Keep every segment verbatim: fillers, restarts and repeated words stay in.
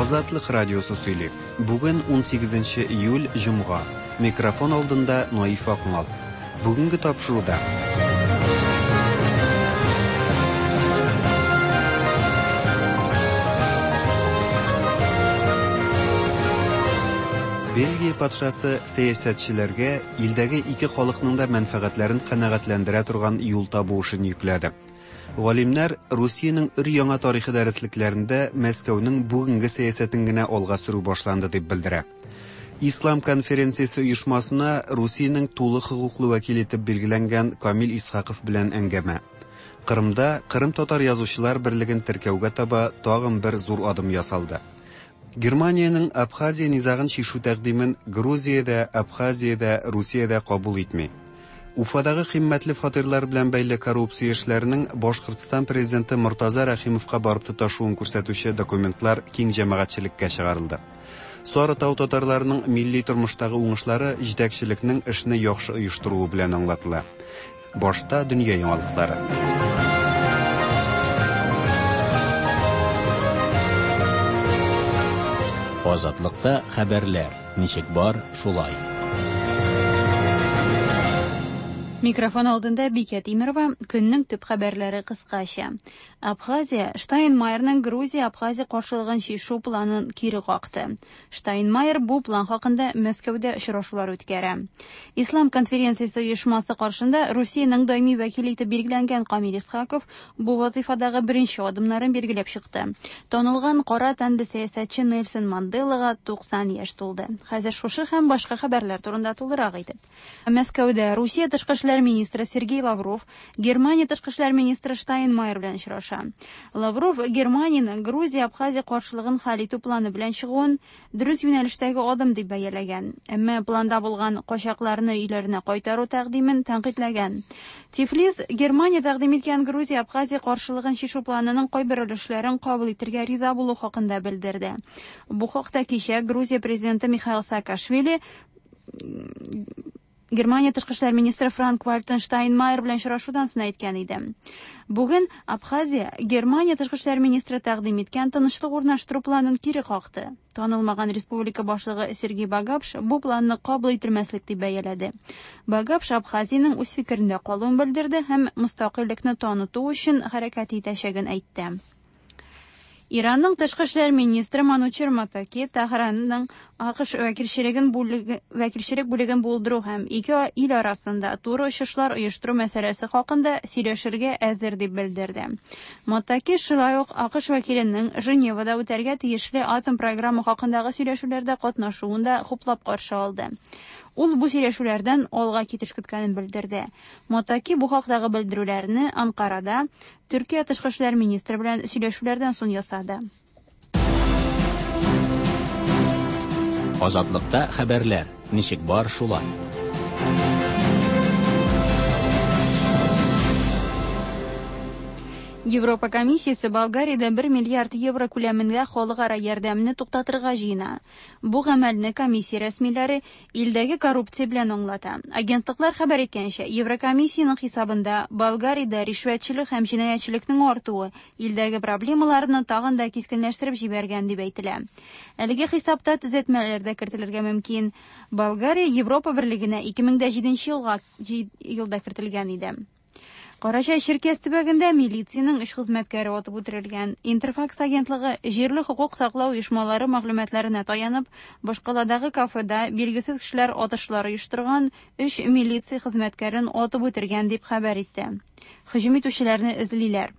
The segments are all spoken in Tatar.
Азатлык радиосы сөйли. Бүген унсигезенче июль, җомга. Микрофон алдында Наиф Акмал. Бүгенге тапшыруда. Бельгия патшасы сәясәтчеләргә илдәге ике халыкның да мәнфәгатьләрен канәгатьләндерә торган юл табу эшен йөкләде. Галимнәр Русиянең өр-яңа тарихы дәреслекләрендә Мәскәүнең бүгенге сәясәтен генә алга сөрү башланды дип белдерә. Ислам конференциясе оешмасына Русиянең тулы хокуклы вәкиле итеп билгеләнгән Камил Исхаков белән әңгәмә. Кырымда Кырым татар язучылар берлеген теркәүгә таба тагын бер зур адым ясалды. Германиянең Абхазия низагын чишү тәкъдимен Грузиядә, Абхазиядә, Русиядә кабул итми. Уфадагы кыйммәтле фатирлар белән бәйле коррупция эшләренең Башкортстан президенты Мортаза Рәхимовка барып тоташуын күрсәтүче документлар киң җәмәгатьчелеккә чыгарылды. Сарытау татарларының милли тормыштагы уңышлары җитәкчелекнең эшне яхшы оештыруы белән аңлатыла. Башта дөнья яңалыклары. Азатлыкта хәбәрләр ничек бар, шулай. Микрофон алдында Бикә Тимирова, көннең төп хәбәрләре кыскача. Абхазия Штайнмайерның Грузия-Абхазия каршылыгын чишү планын кире какты. Штайнмайер бу план хакында Мәскәүдә очрашулар үткәрә. Ислам конференциясе оешмасы каршында Русиянең даими вәкиле итеп билгеләнгән Камил Исхаков бу вазифадагы беренче адымнарын билгеләп чыкты. Танылган кара тәнле сәясәтче Нельсон Манделага туксан яшь тулды. Хәзер шушы һәм башка хәбәрләр турында тулырак итеп. Мәскәүдә Русия тышкы эшләр министры Сергей Лавров Германия тышкы эшләр министры Штайнмайер белән очраша. Лавров Германияның Грузия-Абхазия каршылыгын хәл итү планы белән чыгуын дөрес юнәлештәге адым дип бәяләгән. Әмма планда булган качакларны өйләренә кайтару тәкъдимен тәнкыйтьләгән. Тифлис Германия тәкъдим иткән Грузия-Абхазия каршылыгын чишү планының кайбер өлешләрен кабул итәргә риза булу хакында белдерде. Бу хакта кичә Грузия президенты Михаил Саакашвили Германия тышкы эшләр министры Франк Вальтер Штайнмайер белән очрашудан соң әйткән иде. Бүген Абхазия Германия тышкы эшләр министры тәкъдим иткән тынычлык урнаштыру планын кире какты. Танылмаган республика башлыгы Сергей Багапш бу планны кабул ителмәслек дип бәяләде. Багапш Абхазиянең үз фикерендә калуын белдерде һәм мөстәкыйльлекне таныту өчен хәрәкәт итәчәген әйтте. Иранның тышкы эшләр министры Манучер Матаки Тәһранның АКШ вәкилчелеген бүлеге, вәкилчелек бүлеген булдыру һәм ике ил арасында туры очышлар оештыру мәсьәләсе хакында сөйләшергә әзер дип белдерде. Матаки шулай ук АКШ вәкиленең Женевада үтәргә тиешле атом программа хакындагы сөйләшүләрдә катнашуын да хуплап каршы алды. Ул бу сөйләшүләрдән алга китеш көткәнен белдерде. Матаки бу хактагы белдерүләрне Анкарада Төркия тышкы эшләр министры белән сөйләшүләрдән соң ясады. Азатлыкта хәбәрләр ничек бар, шулай. Европа комиссиясе Болгариядә бер миллиард евро күләмендә халыкара ярдәмне туктатырга җыена. Бу гамәлне комиссия рәсмиләре илдәге коррупция белән аңлата. Агентлыклар хәбәр иткәнчә, Еврокомиссиянең хисабында Болгариядә ришвәтчелек һәм җинаятьчелекнең артуы илдәге проблемаларны тагын да кискенләштереп җибәргән дип әйтелә. Әлеге хисапта төзәтмәләр дә кертелергә мөмкин. Болгария Европа берлегенә ике мең дә җиденче елга, елда кертелгән иде. Карачай-Черкес төбәгендә милициянең өч хезмәткәре атып үтерелгән. Интерфакс агентлыгы җирле хокук саклау оешмалары мәгълүматларына таянып, башкаладагы кафеда билгесез кешеләр атышлар оештырган өч милиция хезмәткәрен атып үтергән дип хәбәр итте. Һөҗүм итүчеләрне эзлиләр.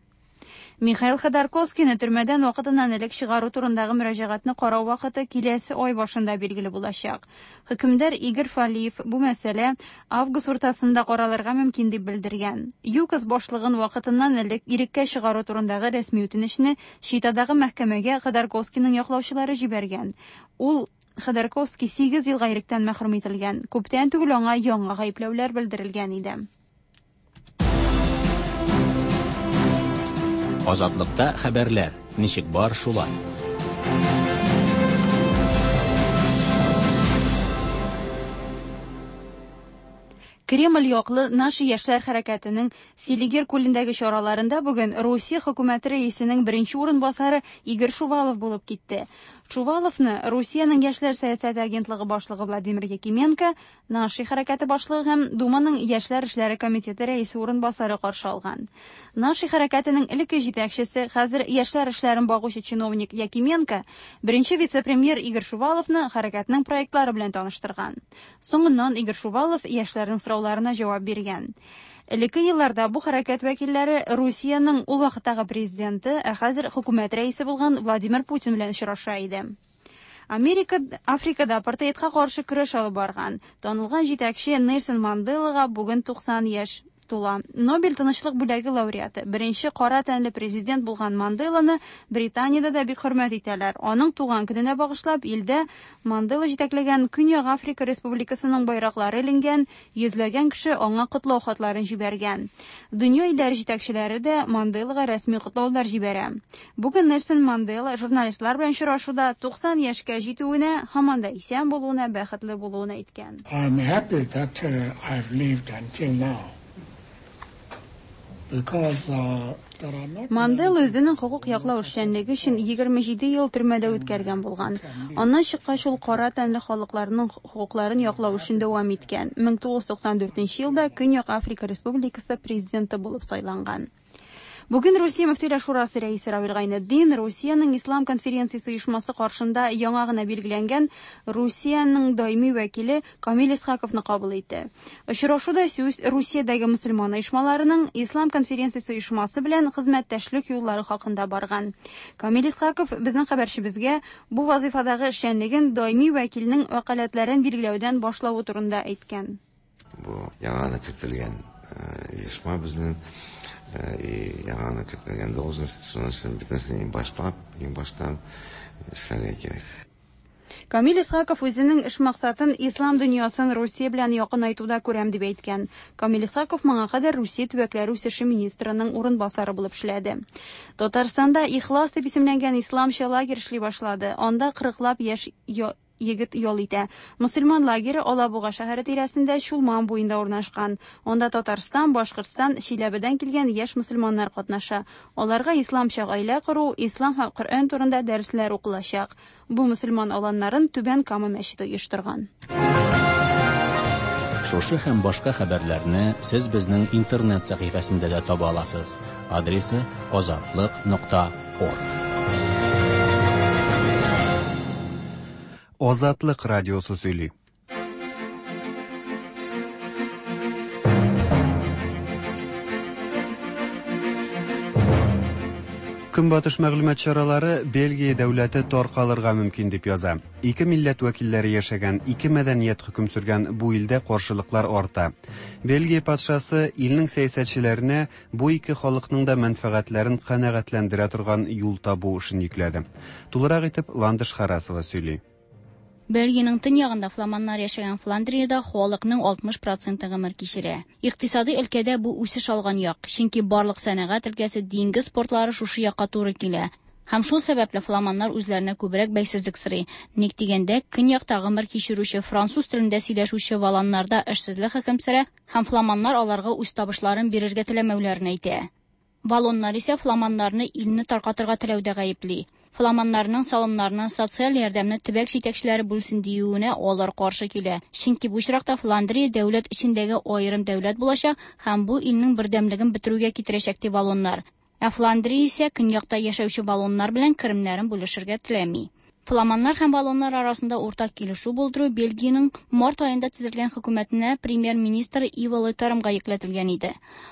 Михаил Ходорковскийны төрмәдән вакытыннан элек чыгару турындагы мөрәҗәгатьне карау вакыты киләсе ай башында билгеле булачак. Хөкемдар Игорь Фалиев бу мәсьәлә август уртасында каралырга мөмкин дип белдергән. ЮКОС башлыгын вакытыннан элек иреккә чыгару турындагы рәсми үтенечне Читадагы мәхкәмәгә Ходорковскийның яклаучылары җибәргән. Ул Ходорковский сигез елга иректән мәхрүм ителгән. Күптән түгел аңа яңа гаепләүләр белдерелгән иде. Азатлыкта хәбәрләр ничек бар, шулай. Кремль яклы «Наши» яшьләр хәрәкәтенең Селигер күлендәге чараларында бүген Русия хөкүмәте рәисенең беренче урынбасары Игорь Шувалов булып китте. Шуваловны Русиянең яшьләр сәясәте агентлыгы башлыгы Владимир Якименко, «Наши» хәрәкәте башлыгы һәм Думаның яшьләр эшләре комитеты рәисе урынбасары каршы алган. «Наши» хәрәкәтенең элекке җитәкчесе, хәзер яшьләр эшләрен багучы чиновник Якименко беренче вице-премьер Игорь Шуваловны хәрәкәтнең проектлары белән таныштырган. Соңыннан Игорь Шувалов яшьләрнең сорауларына җавап биргән. Элекке елларда бу хәрәкәт вәкилләре Русиянең ул вакыттагы президенты, ә хәзер хөкүмәт рәисе булган Владимир Путин белән очраша иде. Америка Африкада апартеидка каршы көрәш алып барган танылган җитәкче Нельсон Манделага бүген туксан яшь тула. Нобель тынычлык бүләге лауреаты, беренче кара тәнле президент булган Манделаны Британиядә дә бик хөрмәт итәләр. Аның туган көненә багышлап илдә Мандела җитәкләгән Көньяк Африка Республикасының байраклары эленгән, йөзләгән кеше аңа котлау хатларын җибәргән. Дөнья илләре җитәкчеләре дә Манделага рәсми котлаулар җибәрә. Бүген Нельсон Мандела журналистлар белән очрашуда туксан яшькә җитүенә, һаман да исән булуына, бәхетле булуын әйткән. I'm happy that uh, I've lived until now. Мандела үзенең хокук яклау эшчәнлеге өчен егерме җиде ел төрмәдә үткәргән булган. Аннан чыккач ул кара тәнле халыкларның хокукларын яклау эшен дәвам иткән. мең тугыз йөз туксан дүртенче елда Көньяк Африка Республикасы президенты булып сайланган. Бүген Русия Мөфтиләр Шурасы рәисе Равил Гайнетдин Русиянең Ислам конференциясе оешмасы каршында яңа гына билгеләнгән Русиянең даими вәкиле Камил Исхаковны кабул итте. Очрашуда сүз Русиядәге мөселман оешмаларының Ислам конференциясе оешмасы белән хезмәттәшлек юллары хакында барган. Камил Исхаков безнең хәбәрчебезгә бу вазифадагы эшчәнлеген даими вәкилнең вәкаләтләрен билгеләүдән башлавы турында әйткән. Бу яңа гына кертелгән оешма безнең и яңа кертелгән должность, шуның өчен бөтенесен иң башлап, иң баштан эшләргә кирәк. Камил Исхаков үзенең эш максатын ислам дөньясын Русия белән якынайтуда күрәм дип әйткән. Камил Исхаков моңа кадәр Русия төбәкләре үсеше министрының урынбасары булып эшләде. Татарстанда Ихлас дип исемләнгән исламча лагерь эшли башлады. Анда кырыклап яшь егет ял итә. Мөселман лагере Алабуга шәһәре тирәсендә Чулман буенда урнашкан. Анда Татарстан, Башкортстан, Чиләбедән килгән яшь мөселманнар катнаша. Аларга исламча гаилә кору, ислам һәм Коръән турында дәресләр укылачак. Бу мөселман аланнарын Түбән Кама мәчете оештырган. Шушы һәм башка хәбәрләрне сез безнең интернет сәхифәсендә дә таба аласыз. Адресы азатлык нокта орг. Азатлык радиосы сөйли. Көнбатыш мәгълүмат чаралары Бельгия дәүләте таркалырга мөмкин дип яза. Ике милләт вәкилләре яшәгән, ике мәдәният хөкем сөргән бу илдә каршылыклар арта. Бельгия патшасы илнең сәясәтчеләренә бу ике халыкның да мәнфәгатьләрен канәгатьләндерә торган юл табу эшен йөкләде. Тулырак итеп Ландыш Харасова сөйли. Бельгиянең төньягында фламаннар яшәгән Фландриядә халыкның алтмыш проценты гомер кичерә. Икътисади өлкәдә бу үсеш алган як, чөнки барлык сәнәгать өлкәсе, диңгез портлары шушы якка туры килә. Һәм шул сәбәпле фламаннар үзләренә күбрәк бәйсезлек сорый. Ник дигәндә, көньякта гомер кичерүче француз телендә сөйләшүче валаннарда эшсезлек хөкем сөрә һәм фламаннар аларга үз табышларын бирергә теләмәүләрен әйтә. Валоннар исә фламаннарны илне таркатырга теләүдә гаепли. Фламаннарның салымнарына социаль ярдәмне төбәк җитәкчеләре бүлсен диюенә алар каршы килә. Чөнки бу очракта Фландрия дәүләт эчендәге аерым дәүләт булачак һәм бу илнең бердәмлеген бетерүгә китерәчәк ди валоннар. Ә Фландрия исә көньякта яшәүче валоннар белән керемнәрен бүлешергә теләми. Фламаннар һәм валоннар арасында уртак килешү булдыру Бельгиянең март аенда төзелгән хөкүмәтенә премьер-министр Иво Летермга йөкләтелгән иде.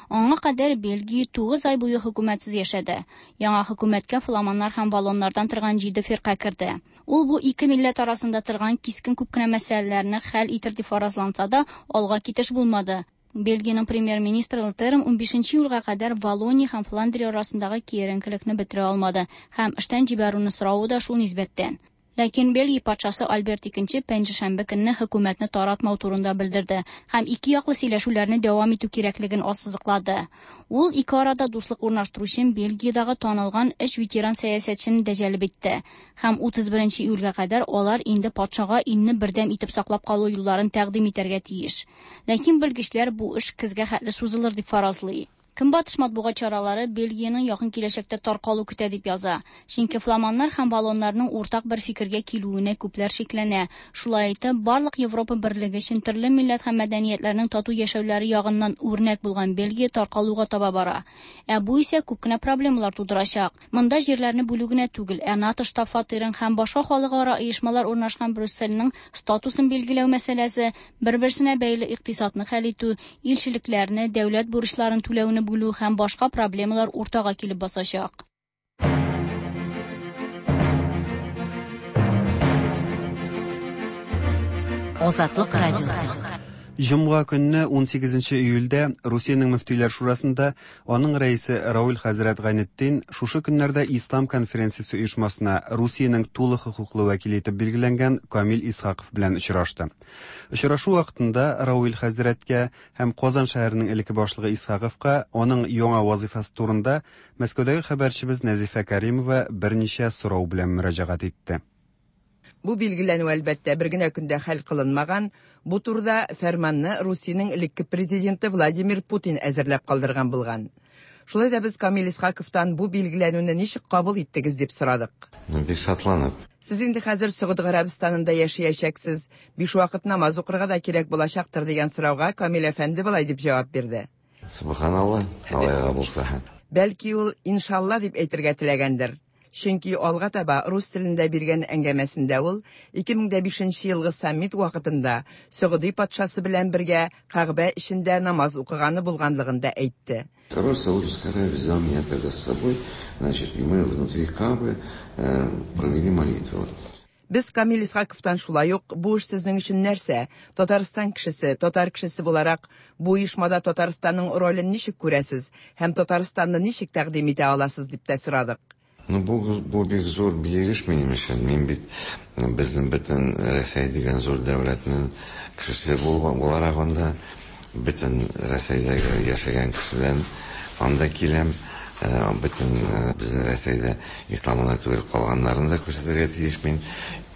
Аңа кадәр Бельгия тугыз ай буе хөкүмәтсез яшәде. Яңа хөкүмәткә фламаннар һәм валоннардан торган җиде фирка керде. Ул бу ике милләт арасында торган кискен күп кенә мәсьәләләрне хәл итер дип фаразланса да, алга китеш булмады. Бельгиянең премьер-министры Летерм унбишенче июльгә кадәр Валония һәм Фландрия арасындагы киеренкелекне бетерә алмады һәм эштән җибәрүне соравы да шул нисбәттән. Ләкин Бельгия патшасы Альберт икенче пәнҗешәмбе көнне хөкүмәтне таратмау турында белдерде һәм ике яклы сөйләшүләрне дәвам итү кирәклеген ассызыклады. Ул ике арада дуслык урнаштыру өчен Бельгиядәге танылган өч ветеран сәясәтчене дә җәлеп итте. Һәм утыз беренче июльгә кадәр алар инде патшага илне бердәм итеп саклап калу юлларын тәкъдим итәргә тиеш. Ләкин белгечләр бу эш көзгә хәтле сузылыр дип фаразлый. Көнбатыш матбугат чаралары Бельгиянең якын киләчәктә таркалу көтә дип яза. Чөнки фламаннар һәм валлоннарның уртак бер фикергә килүенә күпләр шикләнә. Шулай итеп, барлык Европа берлеге өчен төрле милләт һәм мәдәниятләрнең тату яшәүләре ягыннан үрнәк булган Бельгия таркалуга таба бара. Ә бу исә күп кенә проблемалар тудырачак. Монда җирләрне бүлү генә түгел, ә НАТО штаб-фатирын һәм башка халыкара оешмалар урнашкан Брюссельнең статусын билгеләү мәсьәләсе, бер-берсенә бәйле икътисадны хәл итү, илчелекләрне, дәүләт бурычларын түләүне бүлү һәм башка проблемалар уртага килеп басачак. Азатлык радиосы. Җомга көнне ун сигезенче июльдә Русиянең мөфтиләр шурасында аның рәисе Равил хәзрәт Гайнетдин шушы көннәрдә Ислам конференциясе оешмасына Русиянең тулы хокуклы вәкиле итеп билгеләнгән Камил Исхаков белән очрашты. Очрашу вакытында Равил хәзрәткә һәм Казан шәһәренең элекке башлыгы Исхаковка аның яңа вазифасы турында Мәскәүдәге хәбәрчебез Нәзифә Каримова берничә сорау белән мөрәҗәгать итте. Бу билгеләнү әлбәттә бер генә көндә хәл кылынмаган. Бу турыда фәрманны Русиянең элекке президенты Владимир Путин әзерләп калдырган булган. Шулай да без Камил Исхаковтан бу билгеләнүне ничек кабул иттегез дип сорадык. Бик шатланып. Сез инде хәзер Согуд Гарәбстанында яшәячәксез, биш вакыт намаз укырга да кирәк булачактыр дигән сорауга Камил әфәнде болай дип җавап бирде. Субханалла, алайга булса. Бәлки ул иншалла дип әйтергә теләгәндер. Чөнки алга таба рус телендә биргән әңгәмәсендә ул ике мең дә бишенче елгы саммит вакытында Согуди патшасы белән бергә Кәгъбә эчендә намаз укыганы булганлыгын да әйтте. Король Саудовской Аравии взял меня тогда с собой, значит, и мы внутри Каабы, э, провели молитву. Без Камил Исхаковтан шулай ук бу эш сезнең өчен нәрсә? Татарстан кешесе, татар кешесе буларак бу оешмада Татарстанның ролен ничек күрәсез һәм Татарстанны ничек тәкъдим итә аласыз дип тә сорадык. Ну, бу, бу бик зур билгеш минем өчен. Мин бит безнең бөтен Рәсәй дигән зур дәүләтнең кешесе буларак анда бөтен Рәсәйдәге яшәгән кешедән анда киләм. Бөтен безнең Рәсәйдә исламына түгел калганнарын да күрсәтергә тиеш мин.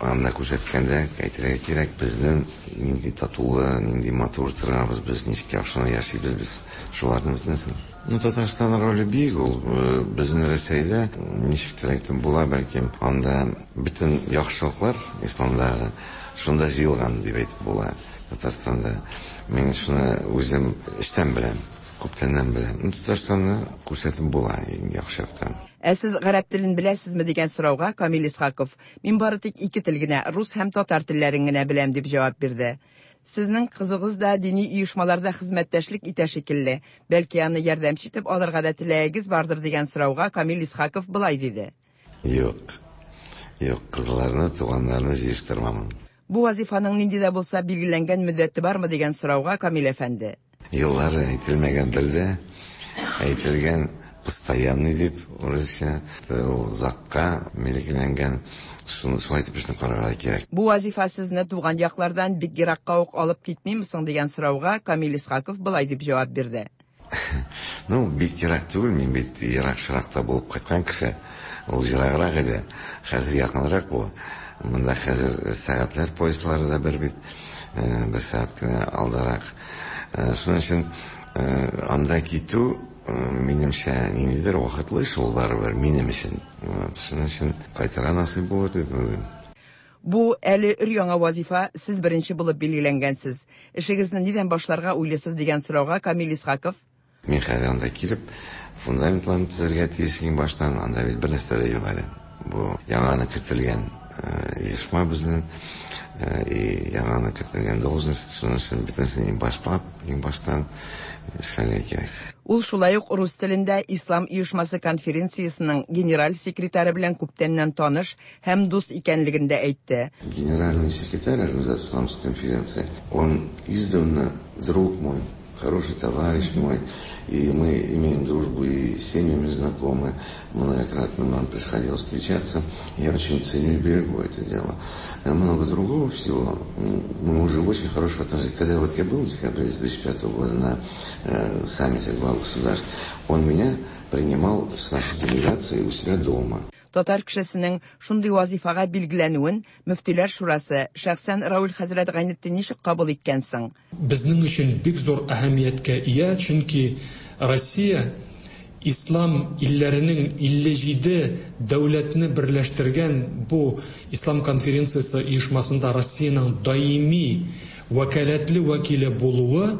Анда күрсәткәндә әйтергә кирәк, безнең нинди татулы, нинди матур торабыз, без ничек яхшы яшибез, без шуларның бөтенесен. Ну, Татарстан роле бик ул безнең Рәсәйдә ничектер әйтеп була, бәлкем анда бөтен яхшылыклар исламдагы шунда җыелган дип әйтеп була Татарстанда. Мин шуны үзем эчтән беләм, күптәннән беләм. Ну, Татарстанны күрсәтеп була иң яхшы яктан. Ә сез гарәп телен беләсезме дигән сорауга Камил Исхаков: "Мин бары тик ике тел генә, рус һәм татар телләрен генә беләм" дип җавап бирде. Сезнең кызыгыз да дини оешмаларда хезмәттәшлек итә шикелле. Бәлки аны ярдәмче итеп алырга да теләгегез бардыр дигән сорауга Камил Исхаков былай диде. Юк. Юк, кызларны, туганнарны җыештырмамын. Бу вазифаның нинди дә булса билгеләнгән мөддәте бармы дигән сорауга Камил әфәнде: Еллары әйтелмәгәндер дә, әйтелгән постоянный дип урысча, ул озакка билгеләнгән. Шуны шулай итеп эшне карарга кирәк. Бу вазифа сезне туган яклардан бик еракка ук алып китмиме соң дигән сорауга Камил Исхаков былай дип җавап бирде. Ну, бик ерак түгел, мин бит ерак шыракта булып кайткан кеше. Ул ераграк иде. Хәзер якынрак бу. Монда хәзер сәгатьләр поездлары да бер бит, бер сәгать кенә алдарак. Шуның өчен анда китү минемчә ниндидер вакытлы эш ул барыбер минем өчен. Шуның өчен кайтырга насыйп булыр дип уйлыйм. Бу әле өр-яңа вазифа, сез беренче булып билгеләнгәнсез. Эшегезне нидән башларга уйлыйсыз дигән сорауга Камил Исхаков: Мин хәзер анда килеп фундаментларны төзергә тиеш иң баштан, анда бит бер нәрсә дә юк әле. Бу яңа кертелгән оешма безнең, и яңа кертелгән должность, шуның өчен бөтенесен иң башлап, иң баштан эшләргә кирәк. Ул шулай ук рус телендә Ислам оешмасы конференциясенең генераль секретаре белән күптәннән таныш һәм дус икәнлеген дә әйтте. Генеральный секретарь Организации Исламской конференции, он издавна друг мой, Хороший товарищ мой, и мы имеем дружбу, и семьями знакомы. Многократно нам приходилось встречаться. Я очень ценю и берегу это дело. Много другого всего. Мы уже в очень хороших отношениях. Когда вот я был в декабре две тысячи пятого года на э, саммите глав государств, он меня принимал с нашей делегацией у себя дома. Татар кешесенең шундый вазифага билгеләнүен Мөфтиләр шурасы, шәхсән Равил хәзрәт Гайнетдин ничек кабул иткән соң? Безнең өчен бик зур әһәмияткә ия, чөнки Россия ислам илләренең илле җиде дәүләтне берләштергән бу ислам конференциясе оешмасында Россиянең даими вәкаләтле вәкиле булуы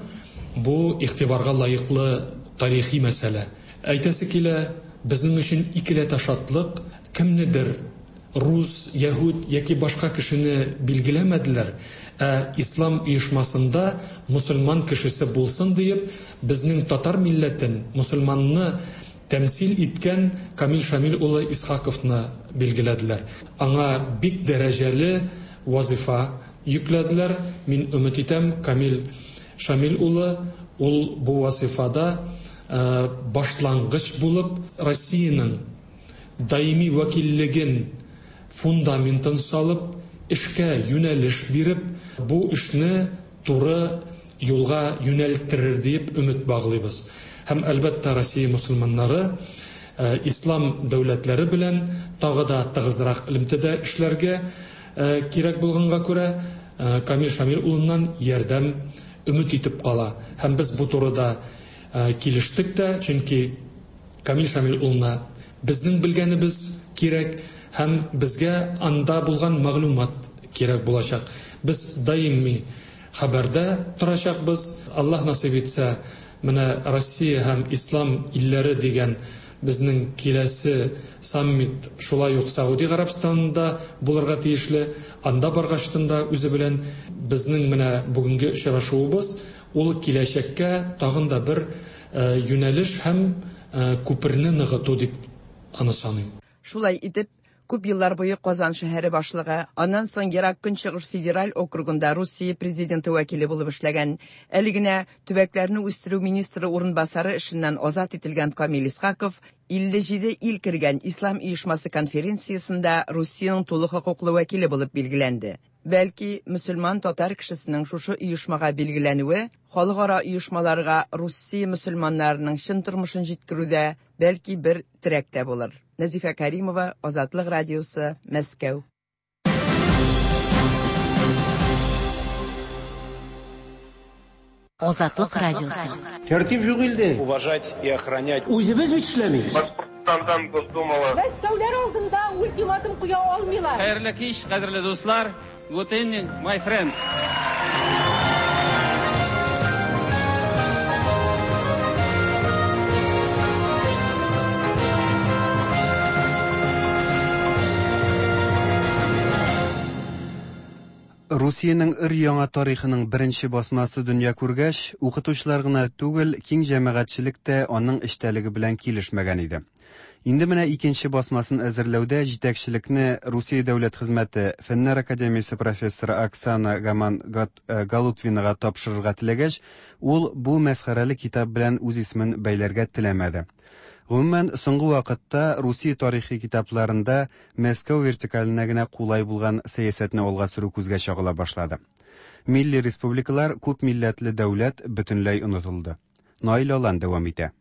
бу игътибарга лаеклы тарихи мәсьәлә. Әйтәсе килә, безнең өчен икеләтә шатлык, кемнедер рус, яһүд яки башка кешене билгеләмәделәр, ә ислам оешмасында мусульман кешесе булсын диеп, безнең татар милләтен, мусульманны тәмсил иткән Камил Шамил улы Исхаковны билгеләделәр. Аңа бик дәрәҗәле вазифа йөкләделәр. Мин өмет итәм, Камил Шамил улы ул бу вазифада башлангыч булып Россиянең даими вәкиллеген фундаментын салып, эшкә юнәлеш биреп, бу эшне туры юлга юнәлттерер дип өмет баглыйбыз. Һәм әлбәттә Россия мусульманнары ислам дәүләтләре белән тагы да тыгызрак элемтәдә эшләргә кирәк булганга күрә Камил Шамил улыннан ярдәм өмет итеп кала. Һәм без бу турыда килештек тә, чөнки Камил Шамил улына безнең белгәнебез кирәк һәм безгә анда булган мәгълүмат кирәк булачак. Без даими хәбәрдә торачакбыз. Аллаһ насыйп итсә, менә Россия һәм ислам илләре дигән безнең киләсе саммит шулай ук Сауди Гарәбстанында булырга тиешле. Анда баргачтын да үзе белән безнең менә бүгенге очрашуыбыз ул киләчәккә тагын да бер юнәлеш һәм күперне ныгыту дип аны саныйм. Шулай итеп, күп еллар буе Казан шәһәре башлыгы, аннан соң Ерак Көнчыгыш федераль округында Русия президенты вәкиле булып эшләгән, әле генә төбәкләрне үстерү министры урынбасары эшеннән азат ителгән Камил Исхаков илле җиде ил кергән Ислам оешмасы конференциясендә Русиянең тулы хокуклы вәкиле булып билгеләнде. Бәлки, мөселман татар кешесенең шушы оешмага билгеләнүе халыкара оешмаларга Русия мөселманнарының чын тормышын җиткерүдә бәлки бер терәк тә булыр. Нәзифә Каримова, Азатлык радиосы, Мәскәү. Азатлык радиосы. Тәртип юк илдә. Уважать и охранять. Үзебез бит эшләмибез. Башкортстандан Госдумала. Мәскәүләр алдында ультиматум куя алмыйлар. Хәерле кич, кадерле дуслар. Good evening, my friends. Русиянең өр-яңа тарихының беренче басмасы дөнья күргәч, укытучылар гына түгел, киң җәмәгатьчелек тә аның эчтәлеге белән килешмәгән иде. Инде менә икенче басмасын әзерләүдә җитәкчелекне Русия дәүләт хезмәте Фәннәр академиясе профессоры Оксана Гаман Галутвинага тапшырырга теләгәч, ул бу мәсхәрәле китап белән үз исемен бәйләргә теләмәде. Гомумән, соңгы вакытта Русия тарихи китапларында Мәскәү вертикаленә генә кулай булган сәясәтне алга сөрү күзгә чагыла башлады. Милли республикалар, күп милләтле дәүләт бөтенләй онытылды. Наил Алан дәвам итә.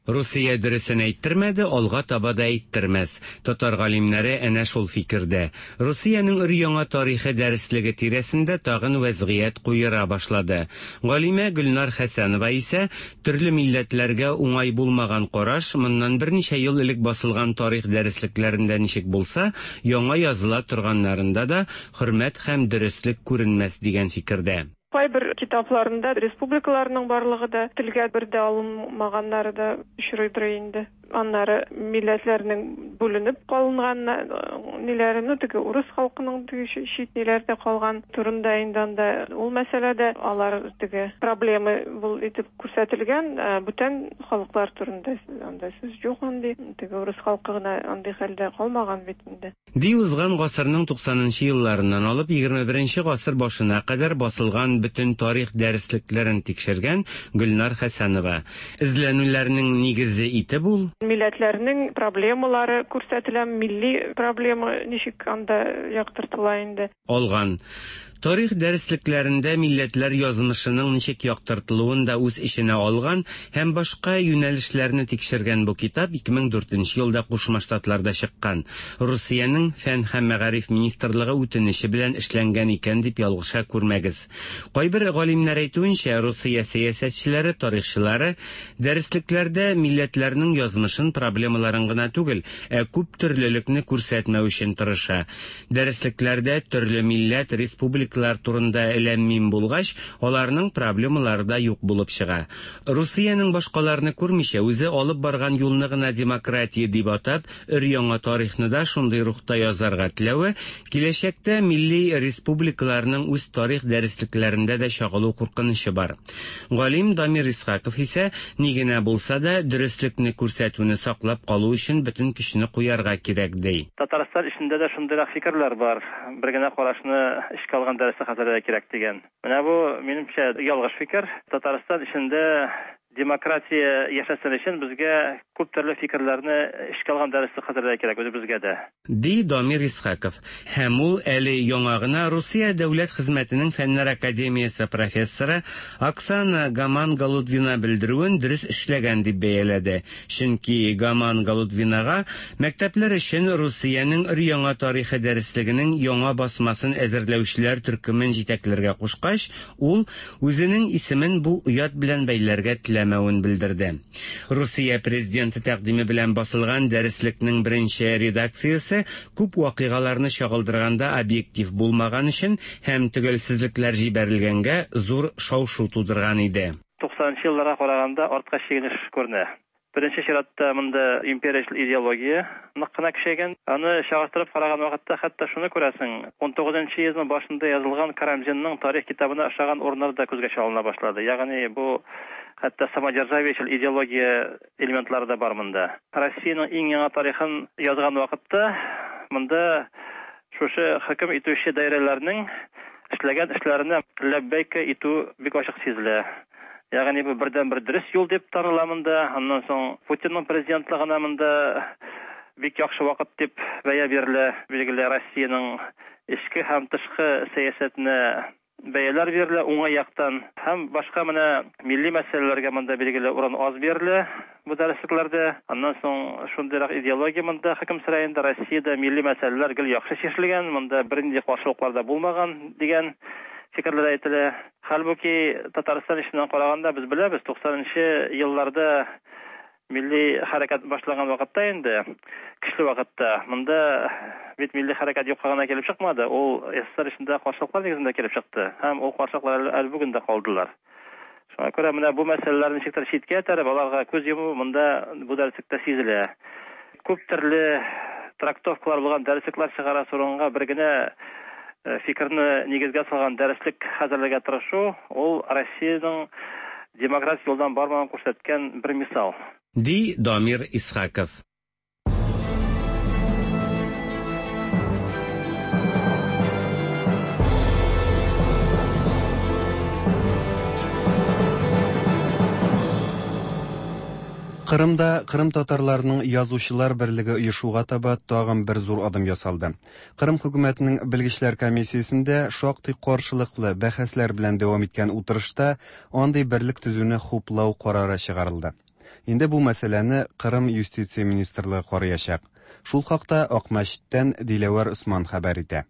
Русия дөресен әйттермәде, алга таба да әйттермәс. Татар галимнәре әнә шул фикердә. Русиянең өр-яңа тарихы дәреслеге тирәсендә тагын вәзгыять куера башлады. Галимә Гөлнар Хәсәнова исә төрле милләтләргә уңай булмаган караш моннан берничә ел элек басылган тарих дәреслекләрендә ничек булса, яңа языла торганнарында да хөрмәт һәм дөреслек күренмәс дигән фикердә. Кайбер китапларында республикаларның барлыгы да телгә бер дә алынмаганнары да очрыйдыр инде. Аннары милләтләрнең бүленеп калынган ниләре, ну теге урыс халкының теге чит ниләрдә калган турында инде анда ул мәсьәләдә алар теге проблемы бул итеп күрсәтелгән, бүтән халыклар турында анда сүз юк андый. Теге урыс халкы гына андый хәлдә калмаган бит инде. Ди узган гасырның туксанынчы елларыннан алып егерме беренче гасыр башына кадәр басылган бөтен тарих дәреслекләрен тикшергән Гөлнар Хәсәнова. Эзләнүләрнең нигезе итеп ул милләтләрнең проблемалары күрсәтелә, милли проблема ничек анда яктыртыла инде. Алган. Тарих дәреслекләрендә милләтләр язмышының ничек яктыртылуын да үз эченә алган һәм башка юнәлешләрне тикшергән бу китап ике мең дүртенче елда Кушма Штатларда чыккан. Русиянең Фән һәм мәгариф министрлыгы үтенече белән эшләнгән икән дип ялгыша күрмәгез. Кайбер галимнәр әйтүенчә, Русия сәясәтчеләре, тарихчылары дәреслекләрдә милләтләрнең язмышын, проблемаларын гына түгел, ә күп төрлелекне күрсәтмәү өчен тырыша. Дәреслекләрдә төрле милләт, республика турында эләммим булгач, аларның проблемалары да юк булып чыга. Русиянең башкаларны күрмичә үзе алып барган юлны гына демократия дип атап, өр-яңа тарихны да шундый рухта язарга теләве, киләчәктә милли республикаларның үз тарих дәреслекләрендә дә чагылу куркынычы бар. Галим Дамир Исхаков исә, ни генә булса да, дөреслекне күрсәтүне саклап калу өчен бөтен көчне куярга кирәк, ди. Татарстан эчендә дә шундыйрак фикерләр бар. Бер генә карашны эшкә алган дәресе хәзерләргә кирәк дигән. Менә бу минемчә ялгыш фикер. Татарстан эчендә демократия яшәсен өчен безгә күп төрле фикерләрне эшкә алган дәреслек хәзерләргә кирәк үзебезгә дә. Ди Дамир Исхаков. Һәм ул әле яңа гына Русия дәүләт хезмәтенең Фәннәр академиясе профессоры Оксана Гаман-Голудвина белдерүен дөрес эшләгән дип бәяләде. Чөнки Гаман-Голудвинага мәктәпләр өчен Русиянең өр-яңа тарихы дәреслегенең яңа басмасын әзерләүчеләр төркемен җитәкләргә кушкач, ул үзенең исемен бу оят белән бәйләргә теләмәвен белдерде. Русия президенты тәкъдиме белән басылган дәреслекнең беренче редакциясе күп вакыйгаларны чагылдырганда объектив булмаган өчен һәм төгәлсезлекләр җибәрелгәнгә зур шау-шу тудырган иде. Туксанынчы елларга караганда артка чигенеш күренә. Беренче чиратта монда империяль идеология нык кына көчәйгән. Аны чагыштырып караган вакытта хәтта шуны күрәсең, ун тугызынчы йөзның башында язылган Карамзинның тарих китабына охшаган урыннар да күзгә чалына башлады. Ягъни бу хәтта самодержавиячел идеология элементлары да бар монда. Россиянең иң яңа тарихын язган вакытта монда шушы хөкем итүче даирәләрнең эшләгән эшләренә ләббәйкә итү бик ачык сизелә. Ягъни бу бердән-бер дөрес юл дип таныла монда. Аннан соң Путинның президентлыгына монда бик яхшы вакыт дип бәя бирелә. Билгеле, Россиянең эчке һәм тышкы сәясәтенә бәяләр бирелә уңай яктан. Һәм башка менә милли мәсьәләләргә монда билгеле урын аз бирелә бу дәреслекләрдә. Аннан соң шундыйрак идеология монда хөкем сөрә инде. Россиядә милли мәсьәләләр гел яхшы чишелгән, монда бернинди каршылыклар да булмаган дигән фикерләр әйтелә. Хәлбуки Татарстан эшеннән караганда без беләбез, туксанынчы елларда милли хәрәкәт башланган вакытта инде, көчле вакытта, монда бит милли хәрәкәт юкка гына килеп чыкмады, ул СССР эчендә каршылыклар нигезендә килеп чыкты һәм ул каршылыклар әле бүген дә калдылар. Шуңа күрә менә бу мәсьәләләрне ничектер читкә этәреп, аларга күз йому монда бу дәреслектә сизелә. Күп төрле трактовкалар булган дәреслекләр чыгара урынга бер генә фикерне нигезгә салган дәреслек хәзерләргә тырышу, ул Россиянең демократик юлдан бармавын күрсәткән бер мисал. Ди Дамир Исхаков. Кырымда Кырым татарларының язучылар берлеге оешуга таба тагын бер зур адым ясалды. Кырым хөкүмәтенең белгечләр комиссиясендә шактый каршылыклы бәхәсләр белән дәвам иткән утырышта андый берлек төзүне хуплау карары чыгарылды. Инде бу мәсьәләне Кырым юстиция министрлыгы караячак. Шул хакта Акмәчеттән Диләвәр Усман хәбәр итә.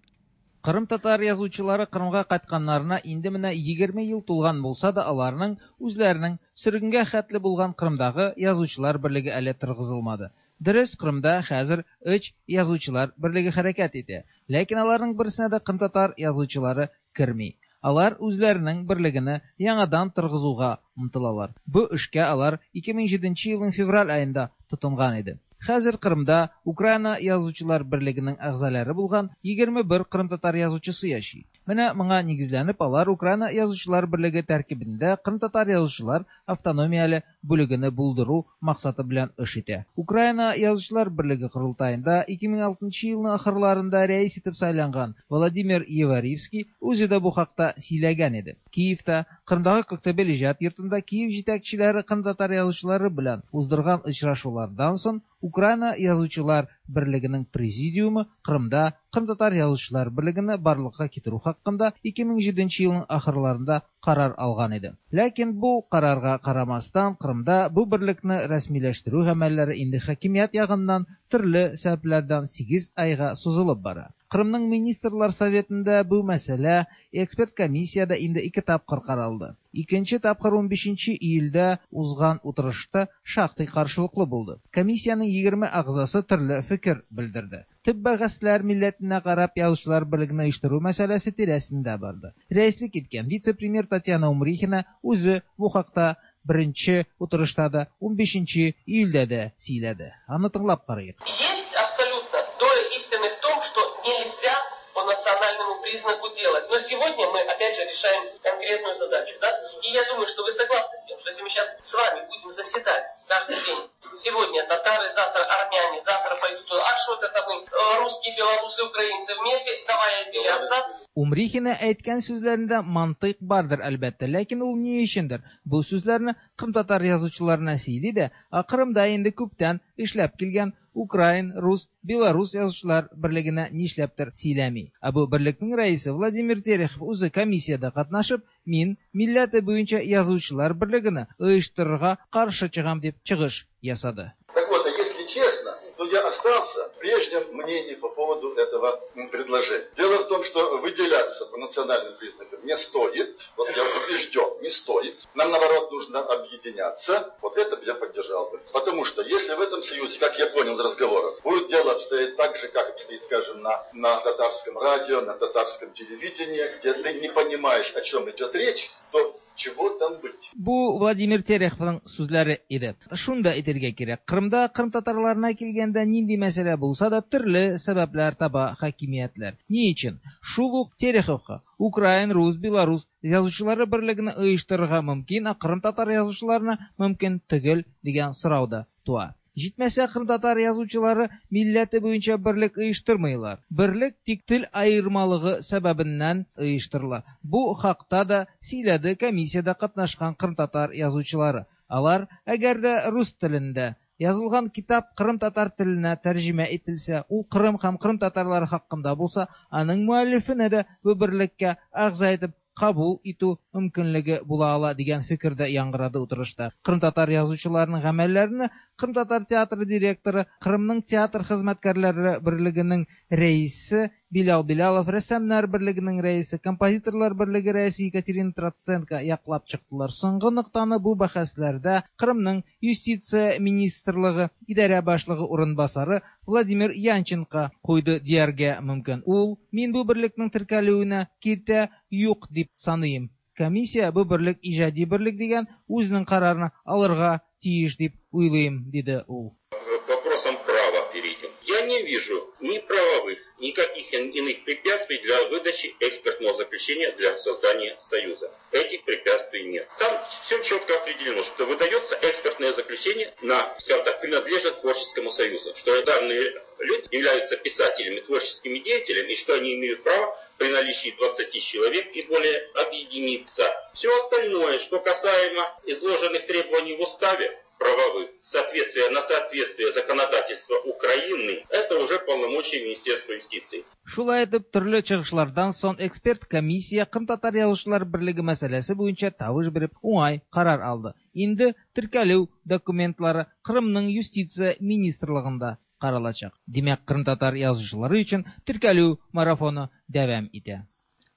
Кырым татар язучылары Кырымга кайтканнарына инде менә егерме ел тулган булса да, аларның үзләренең сөргенгә хәтле булган Кырымдагы язучылар берлеге әле торгызылмады. Дөрес, Кырымда хәзер өч язучылар берлеге хәрәкәт итә, ләкин аларның берсенә дә кырым татар язучылары керми. Алар үзләренең берлегене яңадан торгызуга омтылалар. Бу эшкә алар ике мең җиденче елның февраль аенда тотынган иде. Хәзер Кырымда Украина Язучылар берлегенең әгъзалары булган егерме бер кырымтатар язучысы яши. Менә моңа нигезләнеп алар Украина Язучылар берлеге тәркибендә кырымтатар язучылар автономияле бүлегене булдыру максаты белән эш итә. Украина Язучылар берлеге корылтаенда ике мең алтынчы елның ахырларында рәис итеп сайланган Владимир Еваривский үзе дә бу хакта сөйләгән иде. Киевта Кырымдагы Коктебел иҗат йортында Киев җитәкчеләре кырымтатар язучылары белән уздырган очрашулардан соң Украина Язучылар берлегенең президиумы Кырымда Кырымтатар Язучылар берлегене барлыкка китерү хакында ике мең җиденче елның ахырларында карар алган иде. Ләкин бу карарга карамастан Кырымда бу берлекне рәсмиләштерү гамәлләре инде хакимият ягыннан төрле сәбәпләрдән сигез айга сузылып бара. Кырымның Министрлар Советында бу мәсьәлә эксперт комиссиядә инде ике тапкыр каралды. Икенче тапкыр унбишенче июльдә узган утырышта шактый каршылыклы булды. Комиссиянең егерме әгъзасы төрле фикер белдерде. Төп бәхәсләр милләтенә карап язучылар берлеген оештыру мәсьәләсе тирәсендә барды. Рәислек иткән вице-премьер Татьяна Умрихина үзе бу хакта беренче утырышта да унбишенче июльдә дә сөйләде. Аны тыңлап карыйк. Есть абсолютно доля истины в том, что нельзя по национальному признаку делать. Но сегодня мы опять же решаем конкретную задачу, да? И я думаю, что вы согласны с тем, что если мы сейчас с вами будем заседать каждый день, сегодня татары, завтра армяне, завтра пойдут, а что это мы, русские, белорусы, украинцы вместе, давай отделяться. Умрихина әйткән сүзләрендә мантыйк бардыр әлбәттә, ләкин ул ни өчендер бу сүзләрне кырымтатар язучыларына сөйли дә, ә Кырымда инде күптән эшләп килгән украин, рус, белорус язучылар берлегенә нишләптер сөйләми. Ә бу берлекнең рәисе Владимир Терехов үзе комиссиядә катнашып, мин милләте буенча язучылар берлегене оештырырга каршы чыгам дип чыгыш ясады. Так вот, а если честно, то я остался в прежнем мнении по поводу этого предложения. Дело в том, что выделяться по национальным признакам не стоит. Вот я убежден, не стоит. Нам, наоборот, нужно объединяться. Вот это я поддержал бы. Потому что если в этом союзе, как я понял из разговоров, будет дело обстоять так же, как обстоит, скажем, на, на татарском радио, на татарском телевидении, где ты не понимаешь, о чем идет речь, то чего там быть? Бу Владимир Тереховның сүзләре иде. Шунда әйтергә кирәк, Кырымда кырым татарларына килгәндә нинди мәсьәлә булса да төрле сәбәпләр таба хакимиятләр. Ни өчен? Шул ук Тереховка украин, рус, белорус язучылары берлегене оештырырга мөмкин, ә кырым татар язучыларына мөмкин түгел дигән сорау да туа. Җитмәсә, кырымтатар язучылары милләте буенча берлек оештырмыйлар. Берлек тик тел аермалыгы сәбәбеннән оештырыла. Бу хакта да сөйләде комиссиядә катнашкан кырымтатар язучылары. Алар, әгәр дә рус телендә язылган китап кырымтатар теленә тәрҗемә ителсә, ул Кырым һәм кырымтатарлары хакында булса, аның муаллифенә дә бу берлеккә әгъза итеп кабул итү мөмкинлеге була ала дигән фикердә яңгырады утырышта. Кырымтатар язучыларының гамәлләрен Кырымтатар театры директоры, Кырымның театр хезмәткәрләре берлегенең рәисе Билал Билалов, рәссамнар берлегенең рәисе, композиторлар берлеге рәисе Екатерина Троценко яклап чыктылар. Соңгы ноктаны бу бәхәсләрдә Кырымның юстиция министрлыгы идарә башлыгы урынбасары Владимир Янченко куйды дияргә мөмкин. Ул, мин бу берлекнең теркәлүенә киртә юк дип саныйм. Комиссия бу берлек иҗади берлек дигән үзенең карарын алырга тиеш дип уйлыйм, диде ул. К вопросам права перейдем. Я не вижу ни правовых, никаких иных препятствий для выдачи экспертного заключения для создания союза. Этих препятствий нет. Там все четко определено, что выдается экспертное заключение на, скажем так, принадлежность творческому союзу, что данные люди являются писателями, творческими деятелями, и что они имеют право при наличии двадцати человек и более объединиться. Все остальное, что касаемо изложенных требований в уставе, правовых, соответствие на соответствие законодательства Украины, это уже полномочия Министерства юстиции. Шулай итеп, төрле чыгышлардан соң эксперт комиссия Кырымтатар язучылар берлеге мәсьәләсе буенча тавыш биреп уңай карар алды. Инде теркәлү документлары Кырымның юстиция министрлыгында каралачак. Димәк, кырымтатар язучылары өчен теркәлү марафоны дәвам итә.